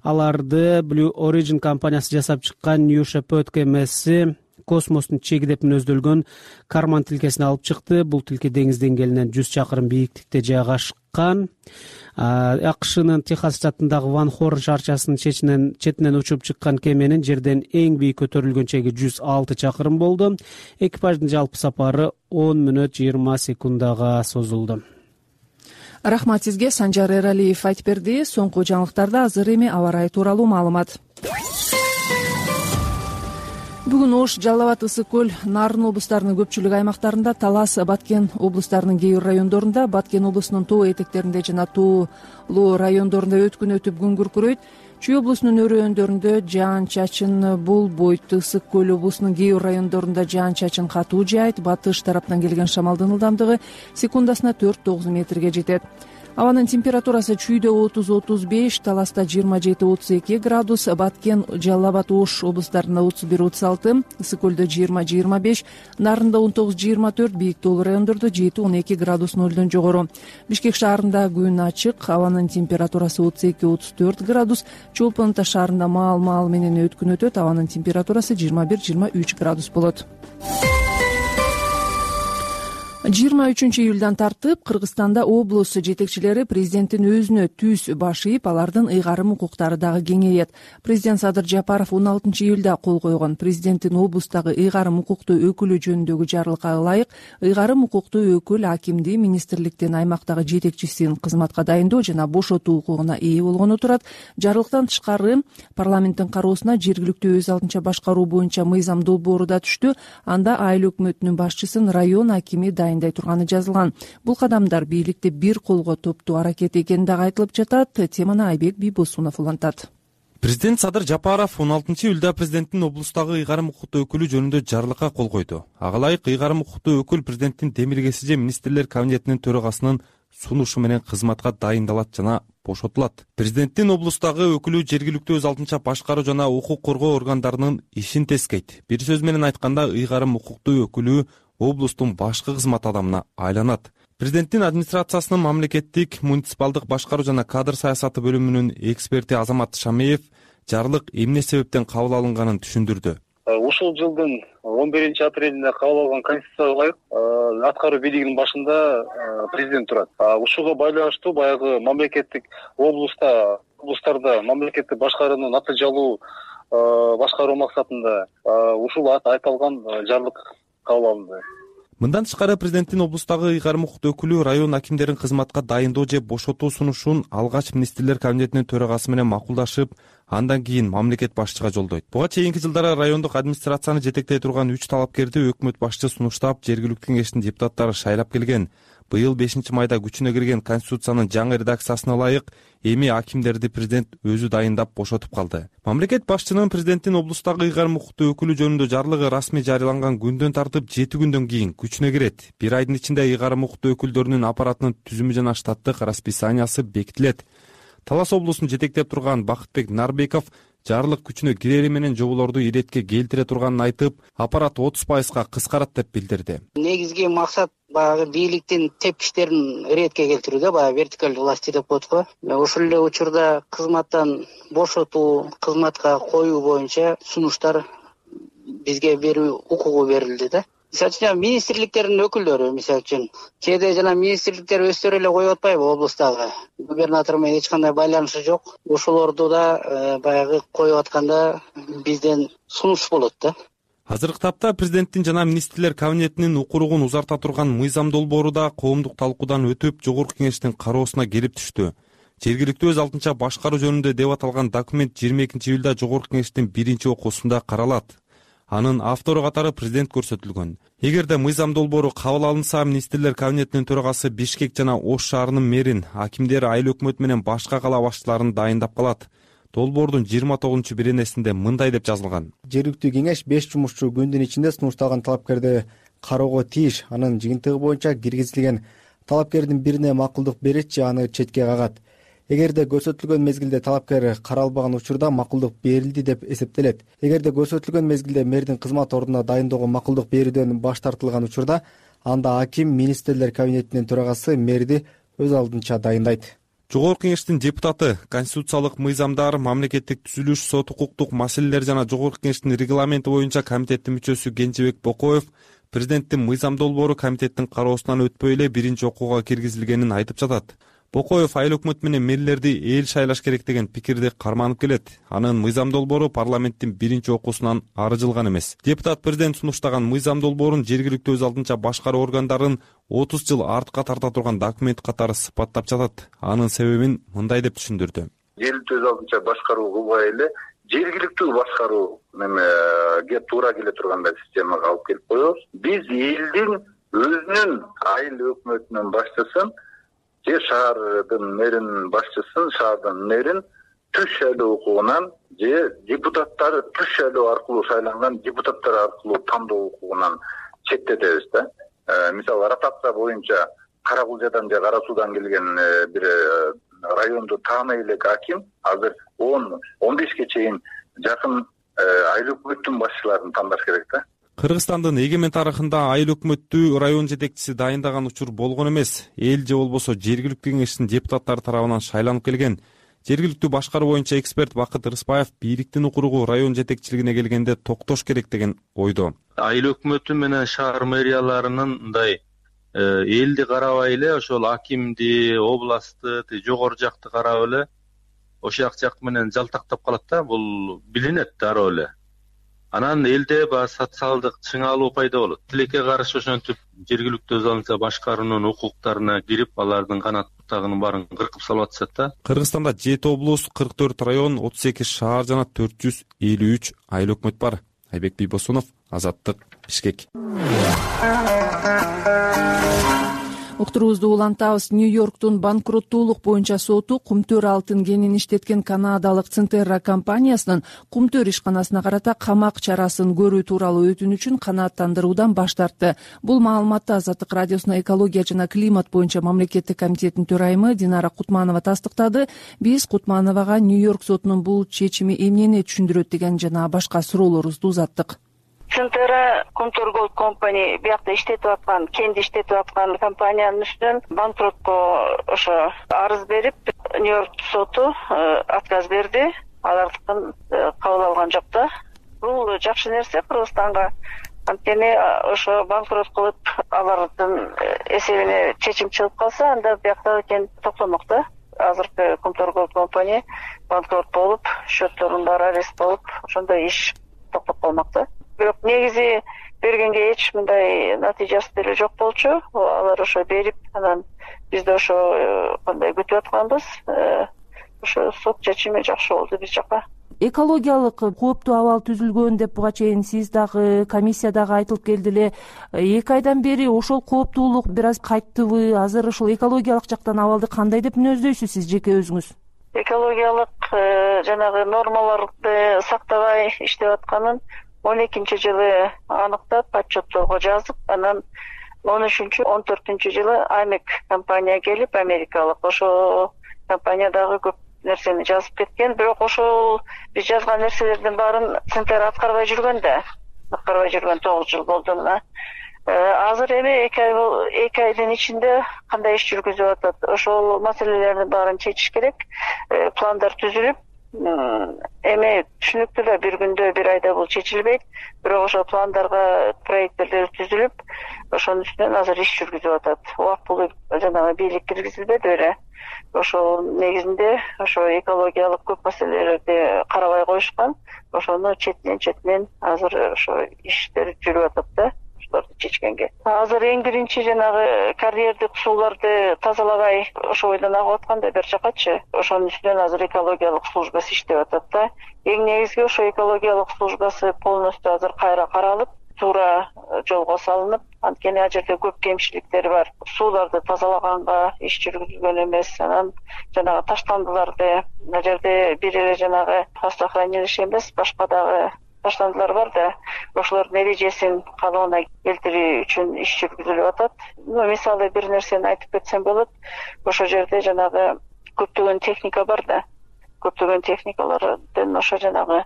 Аларды Blue Origin компаниясы жасап чыккан New Shepard кемеси космостун чеги деп мүнөздөлгөн Карман тилкесине алып чыкты. Бул тилке деңиз деңгээлинен 100 чакырым бийиктикте жайгашкан. АКШнын Техас штатындагы Ван Хорн шаарчасынын четинен учуп чыккан кеменин жерден эң бийик көтөрүлгөн чеги 106 чакырым болду. Экипаждын жалпы сапары 10 мүнөт 20 секундага созулду. Рахмат сизге, Санжар Эралиев айтып берди. Соңку жаңылыктарда азыр эми аба ырайы тууралуу маалымат. Бүгүн Ош, Жалал Абад, Ысык көл, Нарын облустарынын көпчүлүк аймактарында, Талас, Баткен облустарынын кээ бир райондорунда, Баткен облусунун тоо этектеринде жана тоолуу райондорунда өткүн өтүп күн күркүрөйт. Чүй облусунун өрөөндөрүндө жаан-чачын болбойт. Ысык көл облусунун кээ бир райондорунда жаан-чачын катуу жаайт. Батыш тараптан келген шамалдын ылдамдыгы секундасына 4-9 метрге жетет. Абанын температурасы чүйдө 30-35, Таласта 27-32 градус, Баткен, Жалал Абад, Ош облустарында 31-36, Ысык көлдө 20-25, Нарында 19-24, бийик тоолуу райондордо 7-12 градус нөлдөн жогору. Бишкек шаарында күн ачык, абанын температурасы 32-34 градус, Чолпон Ата шаарында маал менен өткүн өтөт, абанын температурасы 21-23 градус болот. 23-июлдан тартып Кыргызстанда облус жетекчилери президенттин өзүнө түз баш ийип, алардын ыйгарым укуктары дагы кеңейет. Президент Садыр Жапаров 16-июлда кол койгон президенттин облустагы ыйгарым укуктуу өкүлү жөнүндөгү жарлыкка ылайык ыйгарым укуктуу өкүл акимди министрликтин аймактагы жетекчисин кызматка дайындоо жана бошотуу укугуна ээ болгону турат. Жарлыктан тышкары парламенттин кароосуна жергиликтүү өз алдынча башкаруу боюнча мыйзам долбоору да түштү. Анда айыл өкмөтүнүн башчысын район акими дайындай турганы жазылган. Бул кадамдар бийликти бир колго топтуу аракет экени дагы айтылып жатат. Теманы Айбек Бийбосунов улантат. Президент Садыр Жапаров 16-июлда президенттин облустагы ыйгарым укуктуу өкүлү жөнүндө жарлыкка кол койду. Ага ылайык ыйгарым укуктуу өкүл президенттин демилгеси же министрлер кабинетинин төрагасынын сунушу менен кызматка дайындалат жана бошотулат. Президенттин облустагы өкүлү жергиликтүү өз алдынча башкаруу жана укук коргоо органдарынын ишин тескейт. Бир сөз менен айтканда, ыйгарым укуктуу өкүлү облустун башкы кызмат адамына айланат. Президенттин администрациясынын мамлекеттик муниципалдык башкаруу жана кадр саясаты бөлүмүнүн эксперти Азамат Шамеев жарлык эмне себептен кабыл алынганын түшүндүрдү. Ушул жылдын 11-апрелинде кабыл алган конституцияга ылайык аткаруу бийлигинин башында президент турат. Ушуга байланыштуу баягы мамлекеттик облустарда мамлекеттик башкаруунун натыйжалуу башкаруу максатында ушул айтылган жарлык кабыл алынды. Мындан тышкары президенттин облустагы ыйгарым укуктуу өкүлү район акимдерин кызматка дайындоо же бошотуу сунушун алгач министрлер кабинетинин төрагасы менен макулдашып, андан кийин мамлекет башчыга жолдойт. Буга чейинки жылдары райондук администрацияны жетектей турган 3 талапкерди өкмөт башчы сунуштап, жергиликтүү кеңештин депутаттары шайлап келген. Быйыл 5-майда күчүнө кирген Конституциянын жаңы редакциясына ылайык эми акимдерди президент өзү дайындап бошотуп калды. Мамлекет башчынын президенттин облустагы ыйгарым укуктуу өкүлү жөнүндө жарлыгы расмий жарыяланган күндөн тартып 7 күндөн кийин күчүнө кирет. Bir айдын ичинде ыйгарым укуктуу өкүлдөрүнүн аппаратынын түзүмү жана штаттык расписаниясы бекитилет. Талас облусун жетектеп турган Бакытбек Нарбеков жарлык күчүнө кирери менен жоболорду иретке келтире турганын айтып, аппарат 30%га кыскарат деп билдирди. Негизги максат баягы бийликтин тепкичтерин иретке келтирүү, баягы вертикалдуу власти деп коет го. Ошол эле учурда кызматтан бошотуу, кызматка коюу боюнча сунуштар бизге берүү укугу берилди да. Мисалы үчүн министрликтердин өкүлдөрү, мисалы үчүн кээде жана министрликтер өздөрү эле коюп атпайбы облустагы. Губернатор менен эч кандай байланышы жок. Ошолорду да баягы коюп атканда бизден сунуш болот да. Азыркы тапта президенттин жана министрлер кабинетинин укуругун узарта турган мыйзам долбоору да коомдук талкуудан өтүп, Жогорку кеңештин кароосуна келип түштү. Жергиликтүү өз алдынча башкаруу жөнүндө деп аталган документ 22-июлда Жогорку кеңештин 1-окуусунда каралат. Анын автору катары президент көрсөтүлгөн. Эгерде мыйзам долбоору кабыл алынса, министрлер кабинетинин төрагасы Бишкек жана Ош шаарынын мэрин, акимдер, айыл өкмөт менен башка кала башчыларын дайындап калат. Долбоордун 29-беренесинде мындай деп жазылган. Жергиликтүү кеңеш 5 жумушчу күндүн ичинде сунушталган талапкерди кароого тийиш. Анын жыйынтыгы боюнча киргизилген талапкердин бирине макулдук берет же аны четке кагат. Эгерде көрсөтүлгөн мезгилде талапкер каралбаган учурда макулдук берилди деп эсептелет. Эгерде көрсөтүлгөн мезгилде мэрдин кызмат ордуна дайындоого макулдук берүүдөн баш тартылган учурда, анда аким министрлер кабинетинин төрагасы мэрди өз алдынча дайындайт. Жогорку кеңештин депутаты, конституциялык мыйзамдар, мамлекеттик түзүлүш, сот укуктук маселелер жана Жогорку кеңештин регламенти боюнча комитеттин мүчөсү Кенжебек Бокоев президенттин мыйзам долбоору комитеттин кароосунан өтпөй эле 1-окууга киргизилгенин айтып жатат. Бокоев айыл өкмөт менен мэрлерди эл шайлаш керек деген пикирди карманып келет. Анын мыйзам долбоору парламенттин 1-окуусунан ары жылган эмес. Депутат президент сунуштаган мыйзам долбоорун жергиликтүү өз алдынча башкаруу органдарын 30 жыл артка тарта турган документ катары сыпаттап жатат. Анын себебин мындай деп түшүндүрдү. Жергиликтүү өз алдынча башкаруу кылбай эле жергиликтүү башкаруу немеге туура келе тургандай системага алып келип коебуз. Биз элдин өзүнүн айыл өкмөтүнүн башчысын же шаардын мэринин башчысын, шаардын мэрин түз шайлоо укугунан же депутаттары түз шайлоо аркылуу шайланган депутаттар аркылуу тандоо укугунан четтетебиз да. Мисалы, ротация боюнча Кара Кулжадан же Кара Суудан келген бир районду тааный элек аким азыр 10-15ке чейин жакын айыл өкмөттүн башчыларын тандаш керек да. Кыргызстандын эгемен тарыхында айыл өкмөттү район жетекчиси дайындаган учур болгон эмес. Эл же болбосо жергиликтүү кеңештин депутаттары тарабынан шайланып келген. Жергиликтүү башкаруу боюнча эксперт Бакыт Рыспаев бийликтин укуругу район жетекчилигине келгенде токтош керек деген ойдо. Айыл өкмөтү менен шаар мэрияларынын мындай элди карабай эле ошол акимди, областты, жогору жакты карап эле ошол жак менен жалтактап калат да. Бул билинет дароо эле. Анан элде баягы социалдык чыңалуу пайда болот. Тилекке каршы ошентип жергиликтүү өз алдынча башкаруунун укуктарына кирип, алардын канат бутагынын баарын кыркып салып атышат да. Кыргызстанда 7 облус, 44 район, 38 шаар жана 453 айыл өкмөт бар. Айбек Бийбосунов, Азаттык, Бишкек. Уктуруубузду улантабыз. Нью-Йорктун банкроттуулук боюнча соту кумтөр алтын кенин иштеткен канадалык Центерра компаниясынын кумтөр ишканасына карата камак чарасын көрүү тууралуу өтүнүчүн канааттандыруудан баш тартты. Бул маалыматты Азаттык радиосуна экология жана климат боюнча мамлекеттик комитеттин төрайымы Динара Кутманова тастыктады. Биз Кутмановага Нью-Йорк сотунун бул чечими эмнени түшүндүрөт деген жана башка суроолорубузду узаттык. Центерра Контур Голд компания биякта иштетип аткан, кенди иштетип аткан компаниянын үстүнөн банкротко ошо арыз берип, Нью-Йорк соту отказ берди. Алардыкын кабыл алган жок да. Бул жакшы нерсе Кыргызстанга. Анткени ошо банкрот кылып, алардын эсебине чечим чыгып калса, анда биякта кен токтомок да. Азыркы Контур Голд компания банкрот болуп, счеттордун баары арест болуп, ошондой иш токтоп калмак да. Бирок негизи бергенге эч мындай натыйжасы деле жок болчу. Алар ошо берип, анан биз да ошо кандай күтүп атканбыз. ошо сот чечими жакшы болду биз жака. Экологиялык кооптуу абал түзүлгөн деп буга чейин сиз дагы комиссия дагы айтылып келди эле. 2 айдан бери ошол кооптуулук бир аз кайттыбы? Азыр ушул экологиялык жактан абалды кандай деп мүнөздөйсүз сиз жеке өзүңүз? Экологиялык жанагы нормаларды сактабай иштеп атканын 12-жылы аныктап отчетторго жазып, анан 13-14-жылы Амек компания келип, америкалык ошо компания дагы көп нерсени жазып кеткен. Бирок ошол биз жазган нерселердин баарын центр аткарбай жүргөн 9 жыл болду мына. Азыр эми 2 айдын ичинде кандай иш жүргүзүп атат? Ошол маселелердин баарын чечиш керек. Пландар түзүлүп, эми түшүнүктүү да бир күндө, бир айда бул чечилбейт. Бирок ошол пландарга проекттер түзүлүп, ошонун үстүнөн азыр иш жүргүзүп атат. Убактылуу жанагы бийлик киргизилбеди беле. Ошол негизинде ошо экологиялык көп маселелерди карабай коюшкан. Ошону четинен азыр ошо иштер жүрүп атат да. Чечкенге. Азыр эң биринчи жанагы карьердик сууларды тазалабай ошо бойдон агып аткан да бер жакачы. Ошонун үстүнөн азыр экологиялык службасы иштеп атат да. Эң негизги ошо экологиялык службасы полностью азыр кайра каралып, туура жолго салынып, анткени ал жерде көп кемчиликтер бар. Сууларды тазалаганга иш жүргүзүлгөн эмес. Анан жанагы таштандыларды ал жерде бир эле жанагы хвостохранилище эмес, башка дагы таштандылар бар да, ошолордун эрежесин калыбына келтирүү үчүн иш жүргүзүлүп атат. Мисалы бир нерсени айтып кетсем болот. Ошо жерде жанагы көптөгөн техника бар да. Көптөгөн техникалардын ошо жанагы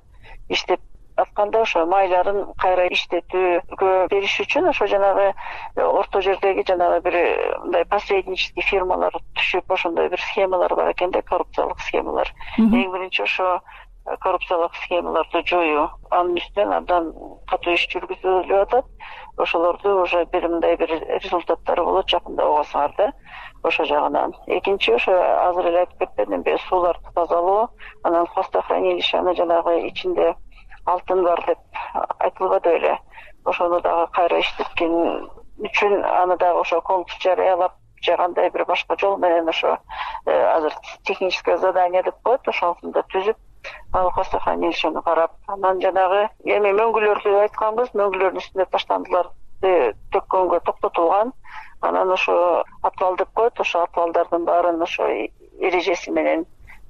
иштеп атканда ошо майларын кайра иштетүүгө бериш үчүн ошо жанагы орто жердеги жанагы бир мындай посреднический фирмалар түшүп, ошондой бир схемалар бар экен да, коррупциялык схемалар. Эң биринчи ошо коррупциялык схемаларды жоюу, анын үстүнөн абдан катуу иш жүргүзүлүп атат. Ошолорду уже бир мындай бир результаттары болот жакында угасыңар да, ошо жагынан. Экинчи ошо азыр эле айтып кетпедимби, сууларды тазалоо, анан хвостохранилищени жанагы ичинде алтын бар деп айтылбады беле. Ошону дагы кайра иштеткен үчүн аны дагы ошо конкурс жарыялап, же кандай бир башка жол менен ошо азыр техническое задание деп коет, ошону түзүп, ал хвостохранилищени карап, анан жанагы эми мөңгүлөрдү айтканбыз, мөңгүлөрдүн үстүнө таштандыларды төккөнгө токтотулган. Анан ошо атвал деп коет, ошо атвалдардын баарын ошо эрежеси менен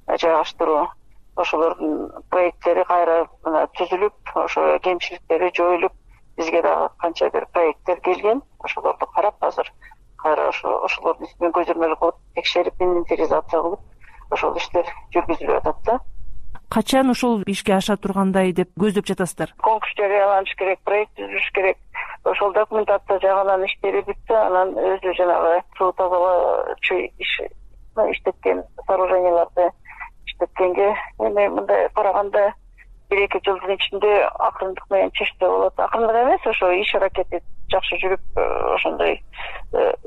жайгаштыруу, ошолордун проекттери кайра түзүлүп, ошо кемчиликтери жоюлуп, бизге дагы канча бир проекттер келген. Ошолорду карап азыр кайра ошолордун үстүнөн көзөмөл кылып, текшерип, инвентаризация кылып, ошол иштер жүргүзүлүп атат да. Качан ошол ишке аша тургандай деп көздөп жатасыздар? Конкурс жарыяланыш керек, проект түзүлүш керек. Ошол документация жагынан иштери бүтсө, анан өзү жанагы суу тазалоочу иштеткен сооруженияларды иштеткенге эми мындай караганда 1-2 жылдын ичинде акырындык менен чечсе болот. Акырындык эмес, ошо иш аракети жакшы жүрүп, ошондой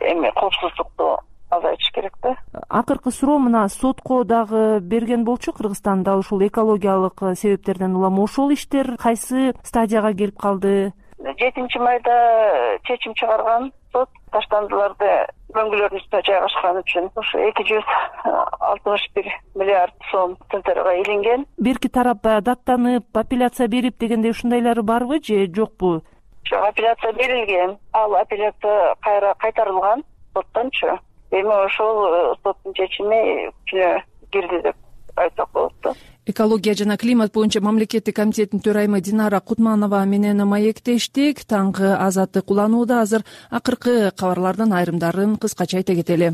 эми коопсуздукту азайтыш керек да. Акыркы суроо мына сотко дагы берген болчу Кыргызстанда ушул экологиялык себептерден улам. Ошол иштер кайсы стадияга келип калды? 7 майда чечим чыгарган сот таштандыларды мөңгүлөрдүн үстүнө жайгашкан үчүн ошо 261 миллиард сом центрга илинген. Берки тарап даттанып, апелляция берип дегендей ушундайлары барбы же жокпу? Жок, апелляция берилген. Ал апелляция кайра кайтарылган соттончу. Эми ошол соттун чечими күчүнө кирди деп айтсак болот да. Экология жана климат боюнча мамлекеттик комитеттин төрайымы Динара Кутманова менен маектештик. Таңкы Азаттык уланууда. Азыр акыркы кабарлардын айрымдарын кыскача айта кетели.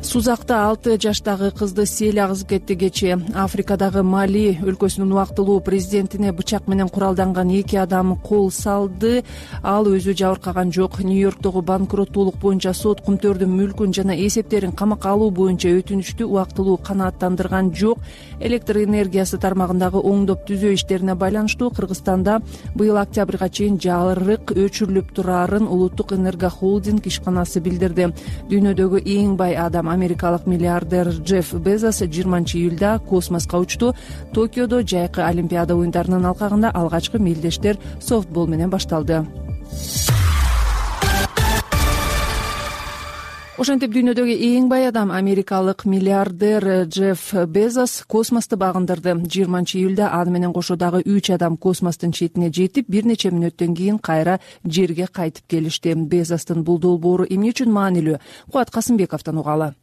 Сузакта 6 жаштагы кызды сел агызып кетти кечээ. Африкадагы Мали өлкөсүнүн убактылуу президентине бычак менен куралданган 2 адам кол салды. Ал өзү жабыркаган жок. Нью-Йорктогу банкроттуулук боюнча сот кумтөрдүн мүлкүн жана эсептерин камакка алуу боюнча өтүнүчтү убактылуу канааттандырган жок. Электр энергиясы тармагындагы оңдоп түзөө иштерине байланыштуу Кыргызстанда быйыл октябрга чейин жарык өчүрүлүп турарын Улуттук энергохолдинг ишканасы билдирди. Дүйнөдөгү эң бай адам америкалык миллиардер Джефф Безос 20-июлда космоско учту. Токиодо жайкы Олимпиада оюндарынын алкагында алгачкы мелдештер софтбол менен башталды. Ошентип дүйнөдөгү эң бай адам америкалык миллиардер Джефф Безос космосту багындырды. 20-июлда аны менен кошо дагы 3 адам космостун четине жетип, бир нече мүнөттөн кийин кайра жерге кайтып келишти. Безостун бул долбоору эмне үчүн маанилүү? Кубат Касымбековдон угалы.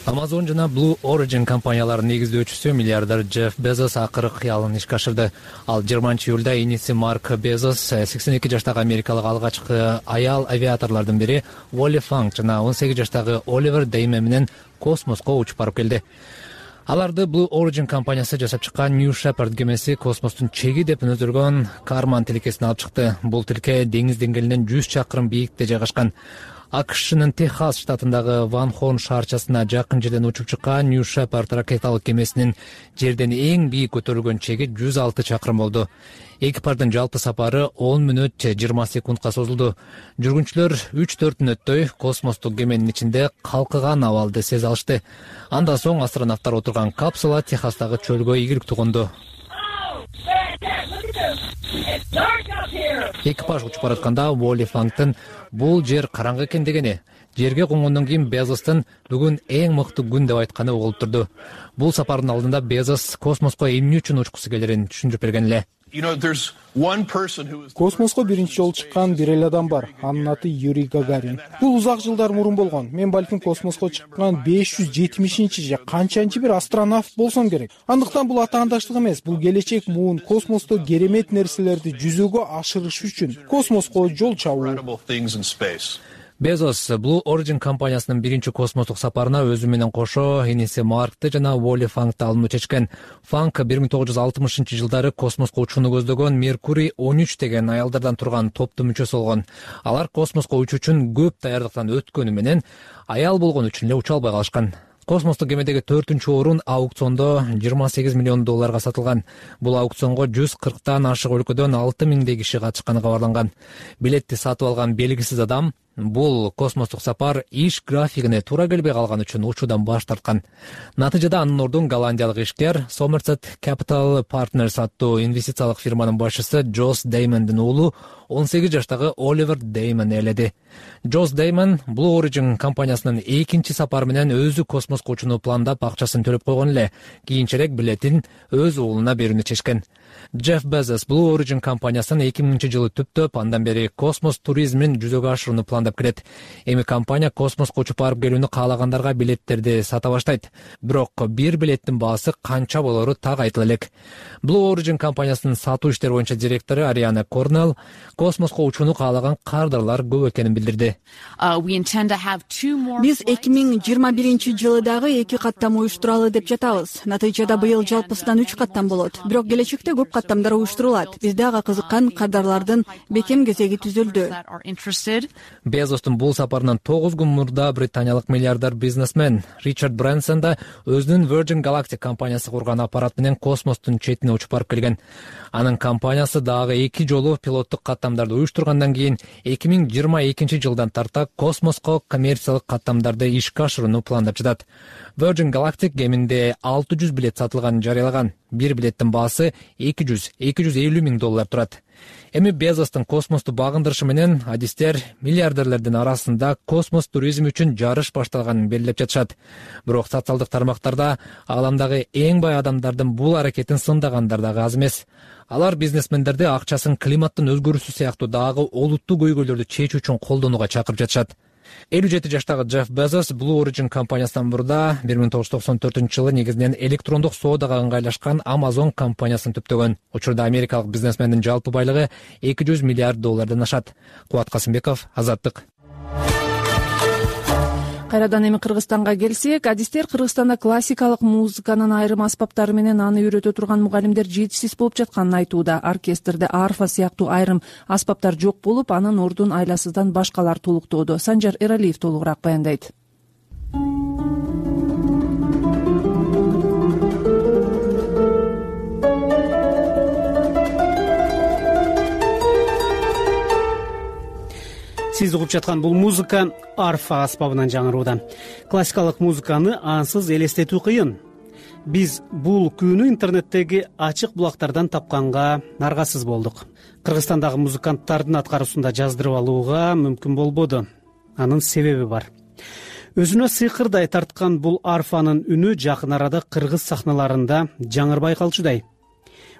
Amazon жана Blue Origin компанияларынын негиздөөчүсү миллиардер Джефф Безос акыры кыялын ишке ашырды. Ал 20-июлда иниси Марк Безос, 82 жаштагы америкалык алгачкы аял авиаторлордун бири Волли Фанк жана 18 жаштагы Оливер Деймен менен космоско учуп барып келди. Аларды Blue Origin компаниясы жасап чыккан New Shepard кемеси космостун чеги деп өнөдүргөн Карман тилкесин алып чыкты. Бул тилке деңиз деңгээлинен 100 чакырым бийиктикте жайгашкан. АКШнын Техас штатындагы Ван Хорн шаарчасына жакын жерден учуп чыккан New Shepard ракеталык кемесинин жерден эң бийик көтөрүлгөн чеги 106 чакырым болду. Экипаждын жалпы сапары 10 мүнөт 20 секундка созулду. Жүргүнчүлөр 3-4 мүнөттөй космостук кеменин ичинде калкыган абалды сезе алышты. Андан соң астронавттар отурган капсула Техастагы чөлгө ийгиликтүү конду. Экипаж учуп баратканда Волли Фанктын бул жер караңгы экен дегени, жерге конгондон кийин Безостун бүгүн эң мыкты күн деп айтканы угулуп турду. Бул сапардын алдында Безос космоско эмне үчүн учкусу келерин түшүндүрүп берген эле. Космоско биринчи жолу чыккан бир эле адам бар. Анын аты Юрий Гагарин. Бул узак жылдар мурун болгон. Мен балким космоско чыккан 570-чи же канчанчы бир астронавт болсом керек. Андыктан бул атаандаштык эмес, бул келечек муун космосто керемет нерселерди жүзөгө ашырыш үчүн космоско жол чабуу. Безос Blue Origin компаниясынын биринчи космостук сапарына өзү менен кошо иниси Маркты жана Волли Фанкты алууну чечкен. Фанк 1960-жылдары космоско учууну көздөгөн Меркурий 13 деген аялдардан турган топтун мүчөсү болгон. Алар космоско учуу үчүн көп даярдыктан өткөнү менен аял болгон үчүн эле уча албай калышкан. Космостук кемедеги 4-чү орун аукциондо $28 миллион сатылган. Бул аукционго 140тан ашык өлкөдөн 6000 киши катышканы кабарланган. Билетти сатып алган белгисиз адам бул космостук сапар иш графигине туура келбей калган үчүн учуудан баш тарткан. Натыйжада анын ордун голландиялык ишкер Somerset Capital Partners аттуу инвестициялык фирманын башчысы Джос Деймендин уулу 18 жаштагы Оливер Деймен ээледи. Джос Деймен Blue Origin компаниясынын экинчи сапары менен өзү космоско учууну пландап акчасын төлөп койгон эле. Кийинчерээк билетин өз уулуна берүүнү чечкен. Джефф Безос Blue Origin компаниясын 2000-жылы түптөп, андан бери космос туризмин жүзөгө ашырууну пландап келет. Эми компания космоско учуп барып келүүнү каалагандарга билеттерди сата баштайт. Бирок бир билеттин баасы канча болору так айтыла элек. Blue Origin компаниясынын сатуу иштери боюнча директору Ариана Корнелл космоско учууну каалаган кардарлар көп экенин билдирди. Биз 2021-жылы дагы 2 каттам уюштуралы деп жатабыз. Натыйжада быйыл жалпысынан 3 каттам болот. Бирок келечекте көп каттамдар уюштурулат. Бизде ага кызыккан кардарлардын бекем кезеги түзүлдү. Безостун бул сапарынан 9 күн мурда британиялык миллиардер бизнесмен Ричард Брэнсон да өзүнүн Virgin Galactic компаниясы курган аппарат менен космостун четине учуп барып келген. Анын компаниясы дагы 2 жолу пилоттук каттамдарды уюштургандан кийин 2022-жылдан тарта космоско коммерциялык каттамдарды ишке ашырууну пландап жатат. Virgin Galactic кеминде 600 билет сатылганын жарыялаган. Бир билеттин баасы $200-250 миң турат. Эми Безостун космосту багындырышы менен адистер миллиардерлердин арасында космос туризми үчүн жарыш башталганын белгилеп жатышат. Бирок социалдык тармактарда ааламдагы эң бай адамдардын бул аракетин сындагандар дагы аз эмес. Алар бизнесмендерди акчасын климаттын өзгөрүүсү сыяктуу дагы олуттуу көйгөйлөрдү чечүү үчүн колдонууга чакырып жатышат. 57 жаштагы Джефф Безос Blue Origin компаниясынан мурда 1994-жылы негизинен электрондук соодага ыңгайлашкан Amazon компаниясын түптөгөн. Учурда америкалык бизнесмендин жалпы байлыгы $200 миллиард ашат. Кубат Касымбеков, Азаттык. Кайрадан эми Кыргызстанга келсек, адистер Кыргызстанда классикалык музыканын айрым аспаптары менен аны үйрөтө турган мугалимдер жетишсиз болуп жатканын айтууда. Оркестрде арфа сыяктуу айрым аспаптар жок болуп, анын ордун айласыздан башкалар толуктоодо. Санжар Эралиев толугураак баяндайт. Сиз угуп жаткан бул музыка арфа аспабынан жаңырууда. Классикалык музыканы ансыз элестетүү кыйын. Биз бул күүнү интернеттеги ачык булактардан тапканга аргасыз болдук. Кыргызстандагы музыканттардын аткаруусунда жаздырып алууга мүмкүн болбоду. Анын себеби бар. Өзүнө сыйкырдай тарткан бул арфанын үнү жакын арада кыргыз сахналарында жаңырбай калчудай.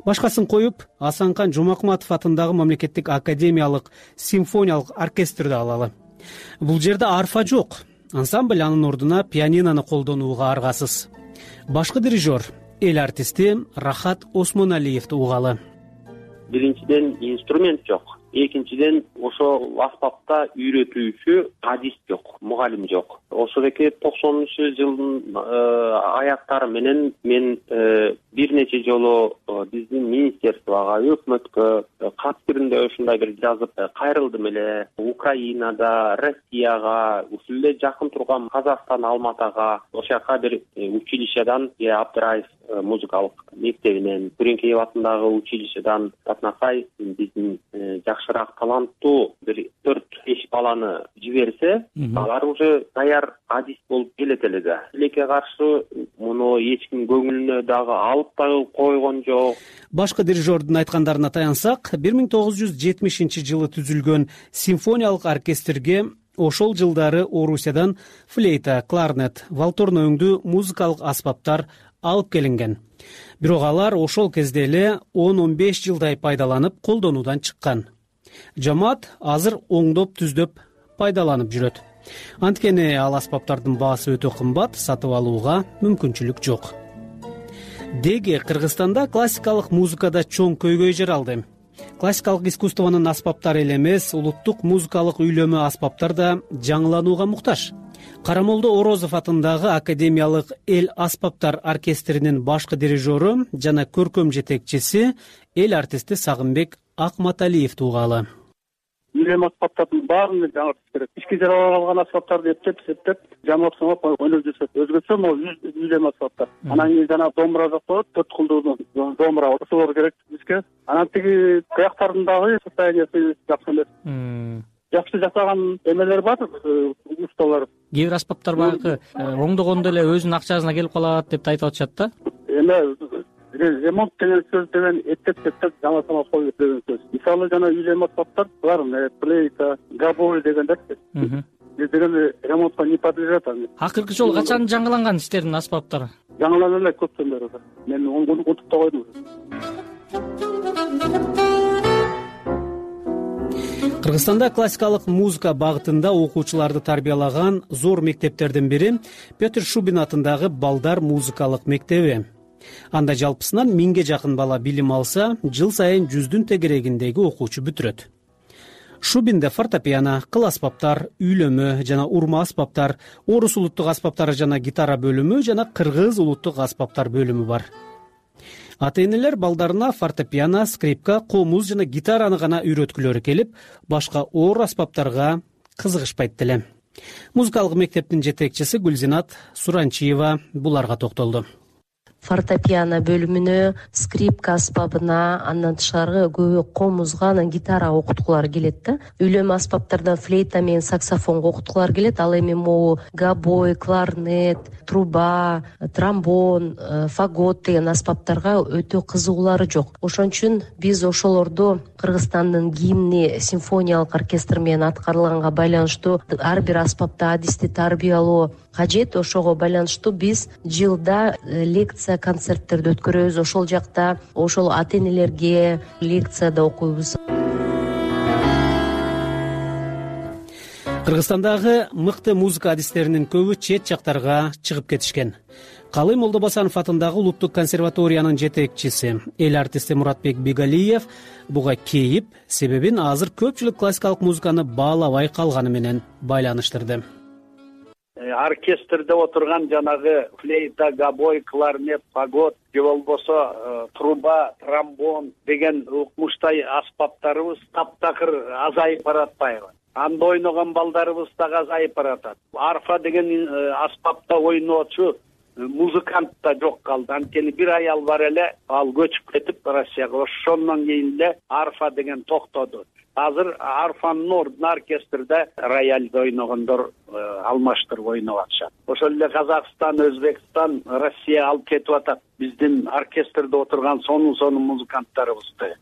Башкасын коюп, Асанкан Жомакматов атындагы мамлекеттик академиялык симфониялык оркестрди алалы. Бул жерде арфа жок. Ансамбль анын ордуна пианинону колдонууга аргасыз. Башкы дирижер, эл артисти Рахат Осмоналиевди угалы. Биринчиден инструмент жок. Экинчиден ошол аспапта үйрөтүүчү адист жок, мугалим жок. Ошо эки 90-жылдын аяктары менен мен бир нече жолу биздин министерствого, өкмөткө кат түрүндө ушундай бир жазып кайрылдым эле. Украинада, Россияга, ушул эле жакын турган Казакстан, Алматага, ошол жака бир училищедан, Абдыраев музыкалык мектебинен, Күреңкеев атындагы училищедан Татнакай биздин жакшыраак таланттуу бир 4-5 баланы жиберсе, алар уже даяр адист болуп келет эле да. Тилекке каршы муну эч ким көңүлүнө дагы алып да койгон жок. Башкы дирижердин айткандарына таянсак, 1970-жылы түзүлгөн симфониялык оркестрге ошол жылдары Орусиядан флейта, кларнет, валторно өңдүү музыкалык аспаптар алып келинген. Бирок алар ошол кезде эле 10-15 жылдай пайдаланып колдонуудан чыккан. Жамаат азыр оңдоп түздөп пайдаланып жүрөт. Анткени ал аспаптардын баасы өтө кымбат, сатып алууга мүмкүнчүлүк жок. Деги Кыргызстанда классикалык музыкада чоң көйгөй жер алды. Классикалык искусствонун аспаптары эле эмес, улуттук музыкалык үйлөмө аспаптар да жаңыланууга муктаж. Карамолдо Орозов атындагы академиялык эл аспаптар оркестринин башкы дирижеру жана көркөм жетекчиси эл артисти Сагынбек Акматалиевди угалы. Үйлөм аспаптардын баарын жаңыртыш керек. Ички жаралып алган аспаптарды эптеп жамап ойноп жүрсөк, өзгөчө могу үйлөм аспаптар. Анан кийин жана домбура жок болот, 4 кулдуу домбура ошолор керек бизге. Анан тиги кыяктардындагы состояниясы жакшы эмес. Жакшы жасаган эмелер бар, усталар. Кээ бир аспаптар баягы оңдогондо эле өзүнүн акчасына келип калат деп айтып атышат да. Ремонт деген сөз деген эптеп жаңа коюп деген сөз. Мисалы жана үйлөм аспаптар бар, флейта, габой дегендер. Деген ремонтко не подлежат. Акыркы жолу качан жаңыланган сиздердин аспаптар? Жаңыланып эле көптөн бери. Мен унутуп да койдум. Кыргызстанда классикалык музыка багытында окуучуларды тарбиялаган зор мектептердин бири Петр Шубин атындагы балдар музыкалык мектеби. Анда жалпысынан 1000ге жакын бала билим алса, жыл сайын 100дүн тегерегиндеги окуучу бүтүрөт. Шубинде фортепиано, кыл аспаптар, үйлөмө жана урма аспаптар, орус улуттук аспаптары жана гитара бөлүмү жана кыргыз улуттук аспаптар бөлүмү бар. Ата-энелер балдарына фортепиано, скрипка, комуз жана гитараны гана үйрөткүлөрү келип, башка оор аспаптарга кызыгышпайт деле. Музыкалык мектептин жетекчиси Гүлзинат Суранчиева буларга токтолду. Фортепиано бөлүмүнө, скрипка аспабына, андан тышкары көбү комузга, анан гитара окуткулар келет да. Үйлөм аспаптардан флейта менен саксофонго окуткулар келет. Ал эми могу габой, кларнет, труба, тромбон, фагот деген аспаптарга өтө кызыгуулары жок. Ошон үчүн биз ошолорду Кыргызстандын гимни симфониялык оркестр менен аткарылганга байланыштуу ар бир аспапта адисти тарбиялоо кажет. Ошого байланыштуу биз жылда лекция концерттерди өткөрөбүз. Ошол жакта ошол ата-энелерге лекцияда окуйбуз. Кыргызстандагы мыкты музыка адистеринин көбү чет жактарга чыгып кетишкен. Калый Молдобасанов атындагы улуттук консерваториянын жетекчиси эл артисти Муратбек Бигалиев буга кейип, себебин азыр көпчүлүк классикалык музыканы баалабай калганы менен байланыштырды. Оркестрде отурган жанагы флейта, габой, кларнет, фагот же болбосо труба, тромбон деген укмуштай аспаптарыбыз таптакыр азайып баратпайбы? Анда ойногон балдарыбыз дагы азайып баратат. Арфа деген аспапта ойноочу музыкант да жок калды. Анткени бир аял бар эле, ал көчүп кетип Россияга. Ошондон кийин эле арфа деген токтоду. азыр арфанын ордуна оркестрде рояльди ойногондор алмаштырып ойноп атышат. Ошол эле Казакстан, Өзбекстан, Россия алып кетип атат биздин оркестрде отурган сонун музыканттарыбызды.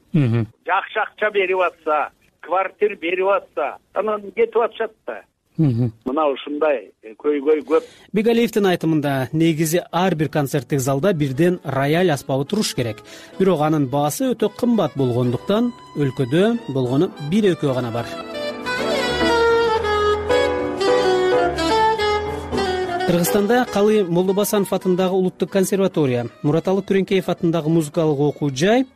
Жакшы акча берип атса, квартир берип атса, анан кетип атышат да. Мына ушундай көйгөй көп. Бегалиевдин айтымында негизи ар бир концерттик залда бирден рояль аспабы туруш керек. Бирок анын баасы өтө кымбат болгондуктан өлкөдө болгону 1-2 гана бар. Кыргызстанда Калы Молдобасанов атындагы улуттук консерватория, Мураталы Күреңкеев атындагы музыкалык окуу жай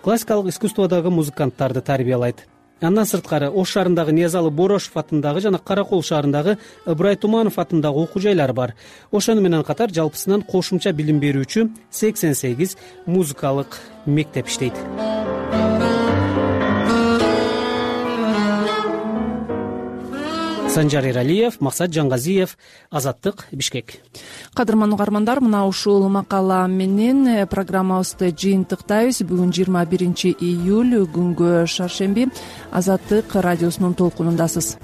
классикалык искусстводогу музыканттарды тарбиялайт. Андан сырткары Ош шаарындагы Ниязалы Борошев атындагы жана Каракол шаарындагы Ыбырай Туманов атындагы окуу жайлар бар. Ошону менен катар жалпысынан кошумча билим берүүчү 88 музыкалык мектеп иштейт. Санжар Эралиев, Максат Жангазиев, Азаттык, Бишкек. Кадырман угармандар, мына ушул макала менен программабызды жыйынтыктайбыз. Бүгүн 21 июль күнгө шаршемби. Азаттык радиосунун толкунундасыз.